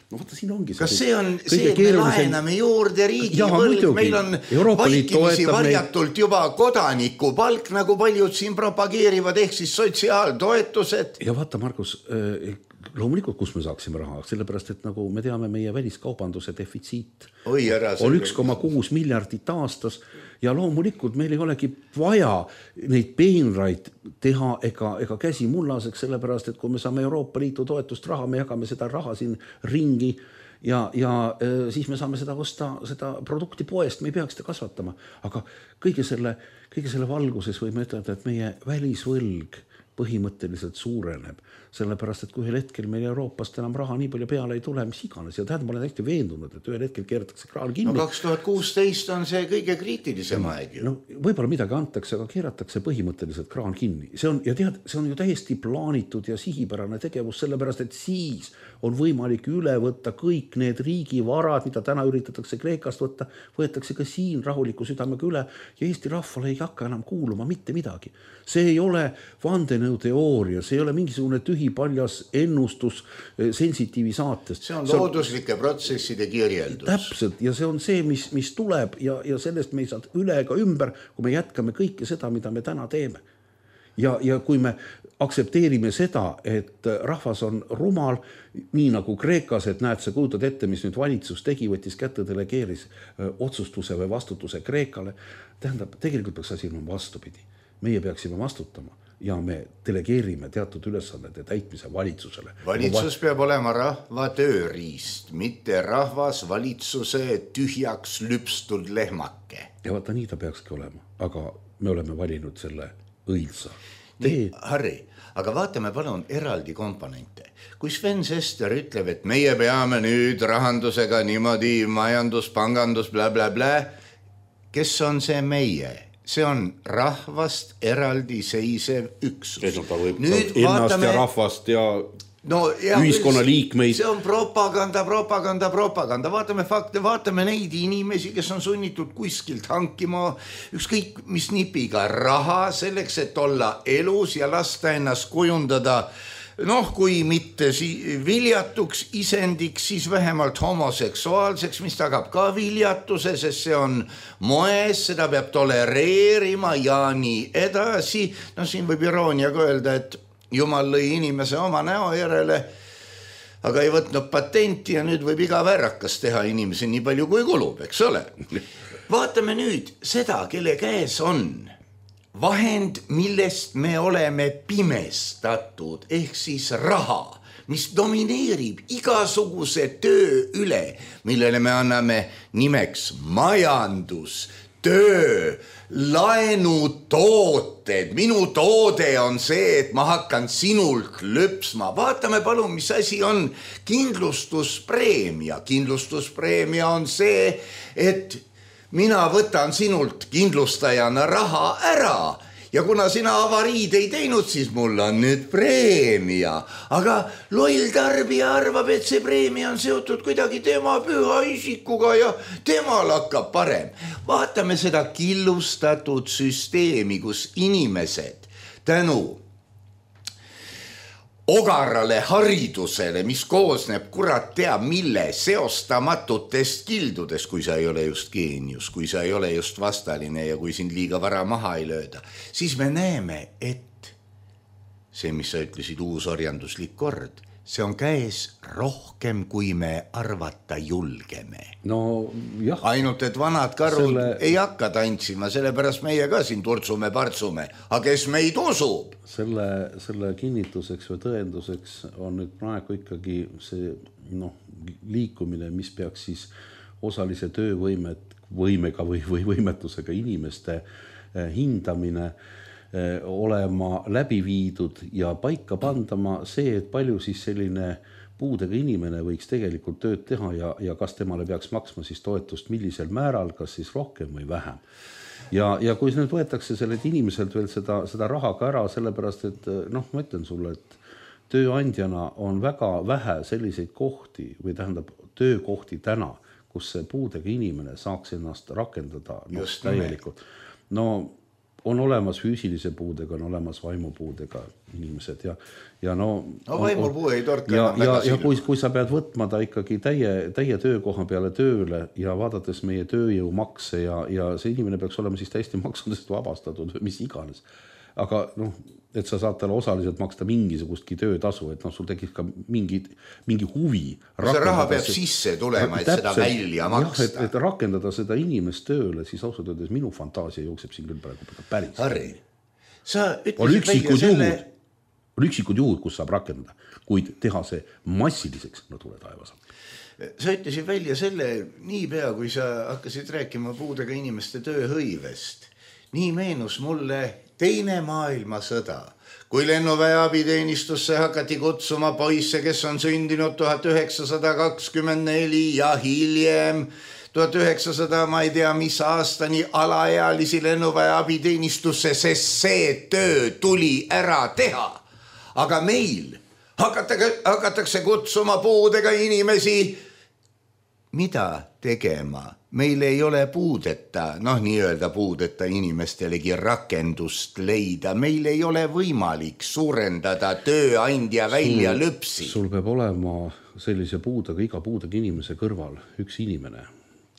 No võtta, siin ongi kas see on see, et me laename juurde riigi võlg, meil on vaikimisi varjatult juba kodanikupalk, nagu paljud siin propageerivad, ehk siis sotsiaaltoetused. Ja vaata, Margus, loomulikult, kus me saaksime raha, sellepärast, et nagu me teame, meie väliskaubanduse defitsiit on 1,6 miljardit aastas ja loomulikult meil ei olegi vaja neid peenraid teha ega käsi mullaseks, sellepärast, et kui me saame Euroopa Liitu toetust raha, me jagame seda raha siin ringi ja siis me saame seda osta, seda produkti poest, me ei peaks seda kasvatama. Aga kõige selle valguses võime ütelda, et meie välisvõlg põhimõtteliselt suureneb, sellepärast, et kui ühel hetkel meil Euroopast enam raha nii palju peale ei tule, mis iganes. Ja tähendab, ma olen hästi veendunud, et ühel hetkel keeratakse kraan kinni. 2016 on see kõige kriitilisem aeg. Võib-olla midagi antakse, aga keeratakse põhimõtteliselt kraan kinni. See on ju täiesti plaanitud ja sihipärane tegevus, sellepärast, et siis on võimalik üle võtta kõik need riigivarad, mida täna üritatakse Kreekast võtta, võetakse ka siin rahuliku südamega üle ja Eesti rahvale ei hakka enam kuuluma mitte midagi. See ei ole vandenõuteooria, see ei ole mingisugune tühipaljas ennustus sensitiivi saatest. See on looduslike protsesside kirjeldus. Täpselt, ja see on see, mis tuleb ja sellest me ei saa üle ega ümber, kui me jätkame kõike seda, mida me täna teeme. Ja kui me aktsepteerime seda, et rahvas on rumal, nii nagu Kreekas, et näed, sa kujutad ette, mis nüüd valitsus tegi, võttis kätte, delegeeris otsustuse või vastutuse Kreekale, tähendab, tegelikult peaks asi olema vastupidi. Meie peaksime vastutama ja me delegeerime teatud ülesannete täitmise valitsusele. Valitsus peab olema rahva tööriist, mitte rahvas valitsuse tühjaks lüpstud lehmake. Ja vaata, nii ta peakski olema, aga me oleme valinud selle õilsa. Nii, Harri, aga vaatame palun eraldi komponente. Kui Sven Sester ütleb, et meie peame nüüd rahandusega niimoodi majandus, pangandus, bla, kes on see meie? See on rahvast eraldi seisev üksus. Nüüd ennast ja rahvast ja ühiskonna liikmeid. See on propaganda. Vaatame fakte, vaatame neid inimesi, kes on sunnitud kuskilt hankima ükskõik mis nipiga raha selleks, et olla elus ja lasta ennast kujundada kui mitte viljatuks isendiks, siis vähemalt homoseksuaalseks, mis tagab ka viljatuse, sest see on moes, seda peab tolereerima ja nii edasi. Siin võib irooniaga öelda, et Jumal lõi inimese oma näo järele, aga ei võtnud patenti ja nüüd võib iga värrakas teha inimesi nii palju kui kulub, eks ole. Vaatame nüüd seda, kelle käes on vahend, millest me oleme pimestatud, ehk siis raha. mis domineerib igasuguse töö üle, millele me anname nimeks majandus, töö, laenutooted. Minu toode on see, et ma hakkan sinult lõpsma. Vaatame palun, mis asi on kindlustuspreemia. Kindlustuspreemia on see, et mina võtan sinult kindlustajana raha ära. Ja kuna sina avariid ei teinud, siis mul on nüüd preemia. Aga loll tarbija arvab, et see preemia on seotud kuidagi tema püha isikuga ja temal hakkab parem. Vaatame seda killustatud süsteemi, kus inimesed tänu ogarale haridusele, mis koosneb kurat teab mille seostamatutest kildudest, kui sa ei ole just geenius, kui sa ei ole just vastaline ja kui sind liiga vara maha ei lööda, siis me näeme, et see, mis sa ütlesid, uus orjanduslik kord, see on käes rohkem, kui me arvata julgeme. No jah. Ainult, et vanad karud ei hakka tantsima, sellepärast meie ka siin turtsume, partsume. Aga kes meid usub? Selle kinnituseks või tõenduseks on nüüd praegu ikkagi see liikumine, mis peaks siis osalise töövõimega või võimetusega inimeste hindamine olema läbi viidud ja paika pandama see, et palju siis selline puudega inimene võiks tegelikult tööd teha ja kas temale peaks maksma siis toetust millisel määral, kas siis rohkem või vähem. Ja kui nüüd võetakse sellelt inimeselt veel seda raha ka ära, sellepärast, et ma ütlen sulle, et tööandjana on väga vähe selliseid kohti või tähendab töökohti täna, kus see puudega inimene saaks ennast rakendada täielikult. On olemas füüsilise puudega, on olemas vaimupuudega inimesed ja vaimupuu ei torka enam väga silma. Kui sa pead võtma ta ikkagi täie töökoha peale tööle ja vaadates meie tööjõumakse ja see inimene peaks olema siis täiesti maksudest vabastatud, mis iganes. Aga et sa saad talle osaliselt maksta mingisugustki töötasu, et sul tekib ka mingi huvi. See raha peab sisse tulema, et seda välja maksta. Et rakendada seda inimest tööle, siis ausalt öeldes minu fantaasia jookseb siin küll praegu päris. Harri, sa ütlesid välja selle... On üksikud juhud, kus saab rakendada, kuid teha see massiliseks, tule taevas. Sa ütlesid välja selle niipea, kui sa hakkasid rääkima puudega inimeste tööhõivest. Nii meenus mulle Teine maailmasõda, kui lennuväe abiteenistusse hakati kutsuma poisse, kes on sündinud 1924 ja hiljem 1900, ma ei tea mis aastani alaealisi lennuväe abiteenistusse, sest see töö tuli ära teha. Aga meil hakatakse kutsuma puudega inimesi mida tegema? Meil ei ole puudeta, nii-öelda puudeta inimestelegi rakendust leida. Meil ei ole võimalik suurendada tööandja välja lõpsi. Sul peab olema sellise puudega, iga puudega inimese kõrval üks inimene,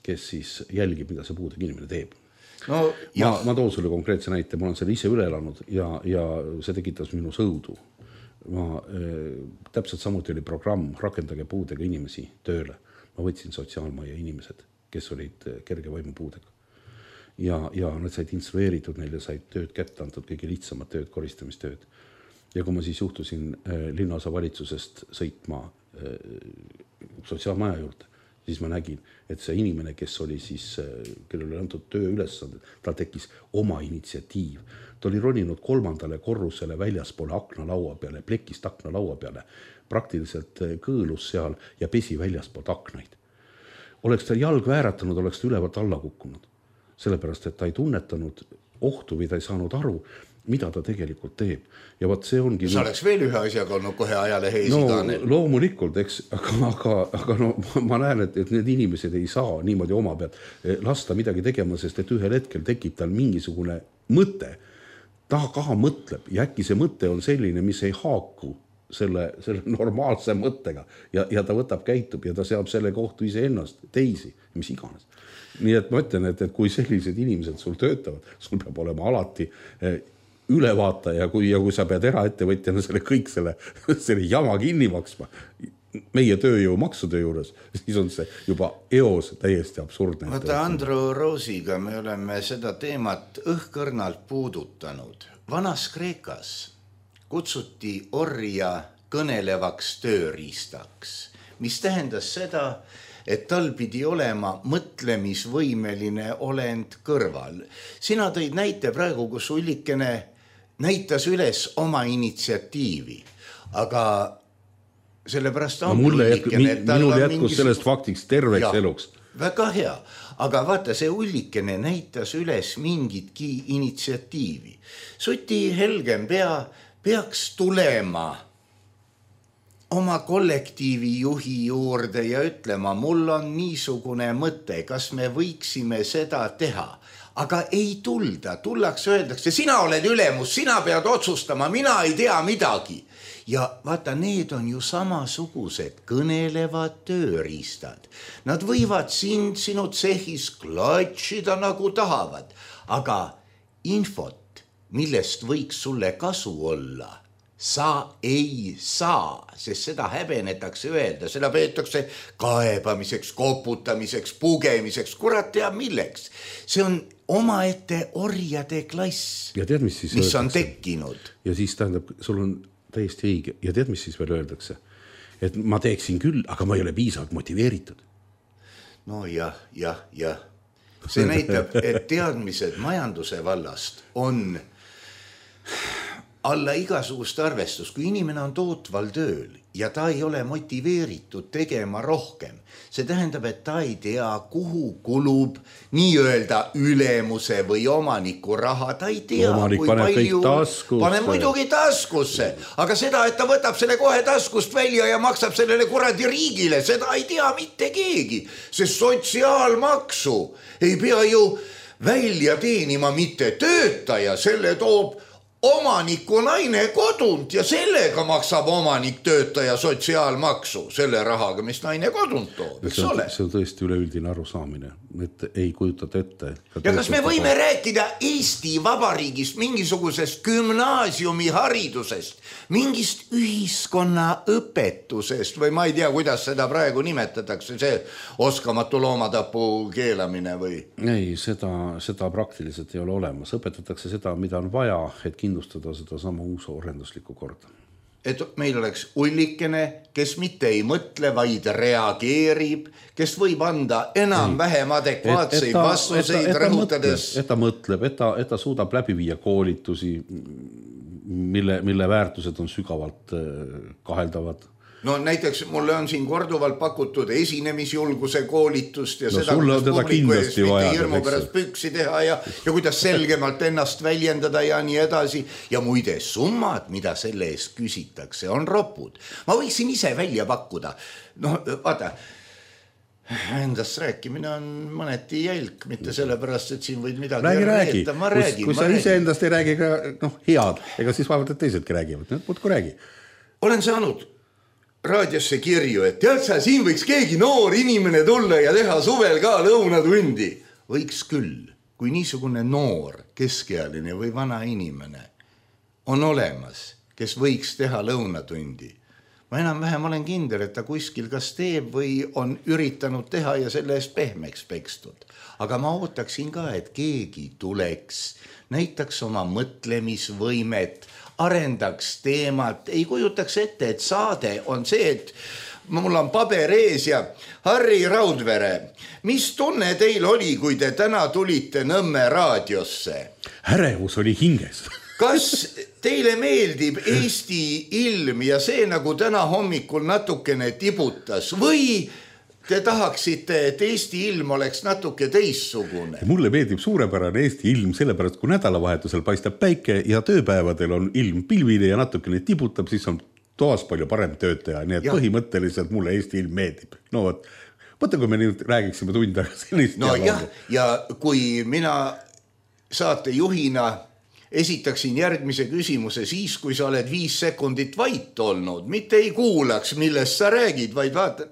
kes siis jälgib, mida see puudega inimene teeb. Ma toon sulle konkreetse näite, ma olen selle ise üle elanud ja see tekitas minu sõudu. Täpselt samuti oli programm Rakendage puudega inimesi tööle. Ma võtsin sotsiaalmaja inimesed, kes olid kerge vaimupuudega. Ja nad said instrueeritud, neile said tööd kätte antud, kõige lihtsamad tööd, koristamistööd. Ja kui ma siis juhtusin linnaosa valitsusest sõitma sotsiaalmaja juurde, siis ma nägin, et see inimene, kes oli siis, kellel oli antud töö ülesanded, tal tekkis oma initsiatiiv. Ta oli roninud 3. korrusele väljaspoole aknalaua peale, plekist aknalaua peale, praktiliselt kõõlus seal ja pesi väljaspoolt aknaid. Oleks ta jalg vääratanud, oleks ta ülevalt alla kukkunud. Sellepärast, et ta ei tunnetanud ohtu või ta ei saanud aru, mida ta tegelikult teeb. Ja võt see ongi... Sa oleks veel ühe asjaga olnud kohe ajale heisikanel. Loomulikult, eks, aga ma näen, et need inimesed ei saa niimoodi oma pealt lasta midagi tegema, sest et ühel hetkel tekib tal mingisugune mõte. Ta kaha mõtleb ja äkki see mõte on selline, mis ei haaku selle normaalse mõttega ja ta võtab, käitub ja ta seab selle kohtu ise ennast, teisi, mis iganes. Nii et ma ütlen, et kui sellised inimesed sul töötavad, sul peab olema alati ülevaata ja kui sa pead eraettevõtjana kõik selle jama kinni maksma meie tööjõu maksude juures, siis on see juba eos täiesti absurdne. Vaata, Andro Roosiga me oleme seda teemat õhkõrnalt puudutanud. Vanas Kreekas kutsuti orja kõnelevaks tööriistaks, mis tähendas seda, et tal pidi olema mõtlemisvõimeline olend kõrval. Sina tõid näite praegu, kus Ullikene näitas üles oma initsiatiivi, aga sellepärast on Ullikene, minul jätkus sellest faktiks terveks eluks. Väga hea, aga vaata, see Ullikene näitas üles mingitki initsiatiivi. Suti helgem peaks tulema oma kollektiivi juhi juurde ja ütlema, mul on niisugune mõte, kas me võiksime seda teha. Aga ei tulda, tullakse, öeldakse, sina oled ülemus, sina pead otsustama, mina ei tea midagi. Ja vaata, need on ju samasugused kõnelevad tööriistad. Nad võivad sinu tsehis klatšida nagu tahavad, aga infot, millest võiks sulle kasu olla, sa ei saa, sest seda häbenetakse öelda, seda peetakse kaebamiseks, koputamiseks, pugemiseks, kurat teab milleks. See on omaette orjade klass, ja tead, mis on tekkinud. Ja siis tähendab, sul on täiesti õige. Ja tead, mis siis veel öeldakse? Et ma teeksin küll, aga ma ei ole piisavalt motiveeritud. No jah. See näitab, et teadmised majanduse vallast on alla igasugust arvestust, kui inimene on tootval tööl ja ta ei ole motiveeritud tegema rohkem. See tähendab, et ta ei tea, kuhu kulub nii-öelda ülemuse või omaniku raha. Ta ei tea, omanik kui palju paneb muidugi taskusse. Aga seda, et ta võtab selle kohe taskust välja ja maksab sellele kuradi riigile, seda ei tea mitte keegi. Sest sotsiaalmaksu ei pea ju välja teenima mitte töötaja, selle toob omaniku naine kodunt ja sellega maksab omanik töötaja sotsiaalmaksu selle rahaga, mis naine kodunt toob, eks ole? See on tõesti üleüldine arusaamine, et ei kujutat ette. Ja kas me võime rääkida Eesti Vabariigist mingisugusest gümnaasiumi haridusest, mingist ühiskonna õpetusest või ma ei tea, kuidas seda praegu nimetatakse, see oskamatu loomatapu keelamine või? Ei, seda praktiliselt ei ole olemas. Õpetatakse seda, mida on vaja, et kindlustada seda sama uus orenduslikku korda. Et meil oleks Ullikene, kes mitte ei mõtle, vaid reageerib, kes võib anda enam-vähem adekvaatseid vastuseid rõhutades. Et ta mõtleb, et ta suudab läbi viia koolitusi, mille väärtused on sügavalt kaheldavad. No näiteks mulle on siin korduvalt pakutud esinemisjulguse koolitust ja seda, kuidas publiku ees mitte hirmu pärast püksi teha ja kuidas selgemalt ennast väljendada ja nii edasi. Ja muide summad, mida selle ees küsitakse, on ropud. Ma võiksin ise välja pakkuda. No vaata, endast rääkimine on mõneti jälk, mitte sellepärast, et siin võid midagi räägi. Kui sa ise endast ei räägi ka head, ega siis vaevalt, et teisedki räägivad. Muudku räägi. Olen saanud raadiosse kirju, et tead sa, siin võiks keegi noor inimene tulla ja teha suvel ka lõunatundi. Võiks küll, kui niisugune noor, keskealine või vana inimene on olemas, kes võiks teha lõunatundi. Ma enam-vähem olen kindel, et ta kuskil kas teeb või on üritanud teha ja selle eest pehmeks pekstud. Aga ma ootaksin ka, et keegi tuleks, näitaks oma mõtlemisvõimet, arendaks teemat, ei kujutaks ette, et saade on see, et mul on paber ees ja Harri Raudvere, mis tunne teil oli, kui te täna tulite Nõmme raadiosse? Ärevus oli hinges. Kas teile meeldib Eesti ilm ja see, nagu täna hommikul natukene tibutas või te tahaksite, et Eesti ilm oleks natuke teissugune? Mulle meeldib suurepärane Eesti ilm, sellepärast kui nädalavahetusel paistab päike ja tööpäevadel on ilm pilvine ja natukene tibutab, siis on toas palju parem töötaja, nii et põhimõtteliselt mulle Eesti ilm meeldib. No võtta, kui me nüüd räägiksime tund aega sellist. No jah, ja kui mina saatejuhina esitaksin järgmise küsimuse siis, kui sa oled 5 sekundit vait olnud, mitte ei kuulaks, millest sa räägid, vaid vaatad,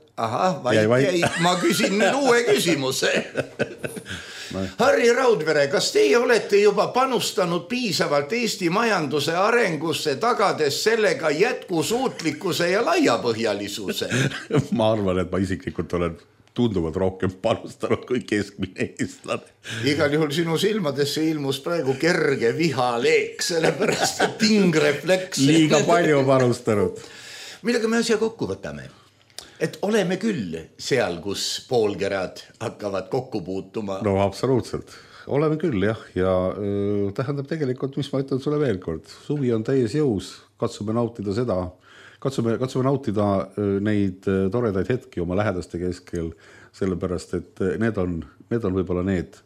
vait jäi, ma küsin nüüd uue küsimuse. Harri Raudvere, kas teie olete juba panustanud piisavalt Eesti majanduse arengusse, tagades sellega jätkusuutlikkuse ja laiapõhjalisuse? Ma arvan, et ma isiklikult olen tunduvalt rohkem panustanud kui keskmine eestlane. Igal juhul sinu silmadesse ilmus praegu kerge vihaleek, sellepärast et tingrefleks. Liiga palju panustanud. millega me asja kokku võtame? Et oleme küll seal, kus poolkerad hakkavad kokku puutuma. No absoluutselt, oleme küll jah, ja tähendab tegelikult, mis ma ütlen sulle veel kord, suvi on täies jõus, katsume nautida seda, katsume nautida neid toredaid hetki oma lähedaste keskel, sellepärast, et need on võib-olla need,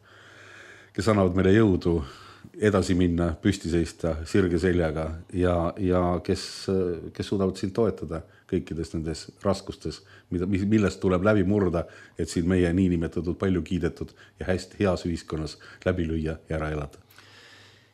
kes annavad meile jõudu edasi minna, püsti seista sirge seljaga ja kes suudavad sind toetada kõikides nendes raskustes, millest tuleb läbi murda, et siin meie niinimetatud palju kiidetud ja hästi heas ühiskonnas läbi lüüa ja ära elada.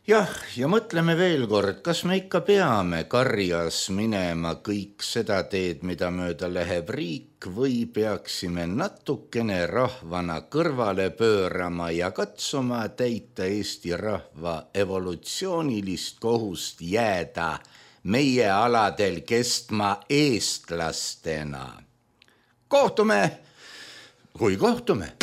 Jah, ja mõtleme veel kord, kas me ikka peame karjas minema kõik seda teed, mida mööda läheb riik, või peaksime natukene rahvana kõrvale pöörama ja katsuma täita Eesti rahva evolutsioonilist kohust jääda meie aladel kestma eestlastena. Kohtume, kui kohtume.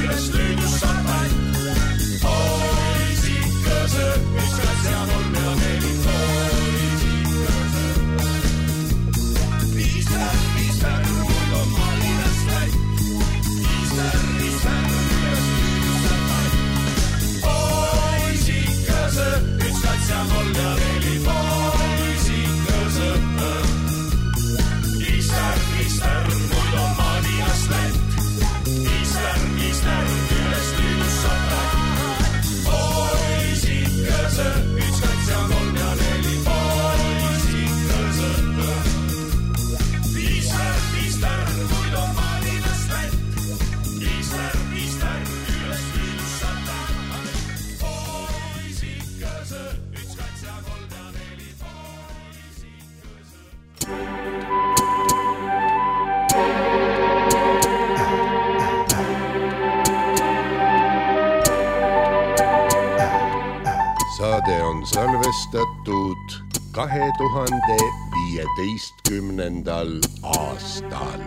Üles löödus sa pätt, poisikõse, mis katse on saade on salvestatud 2015. aastal.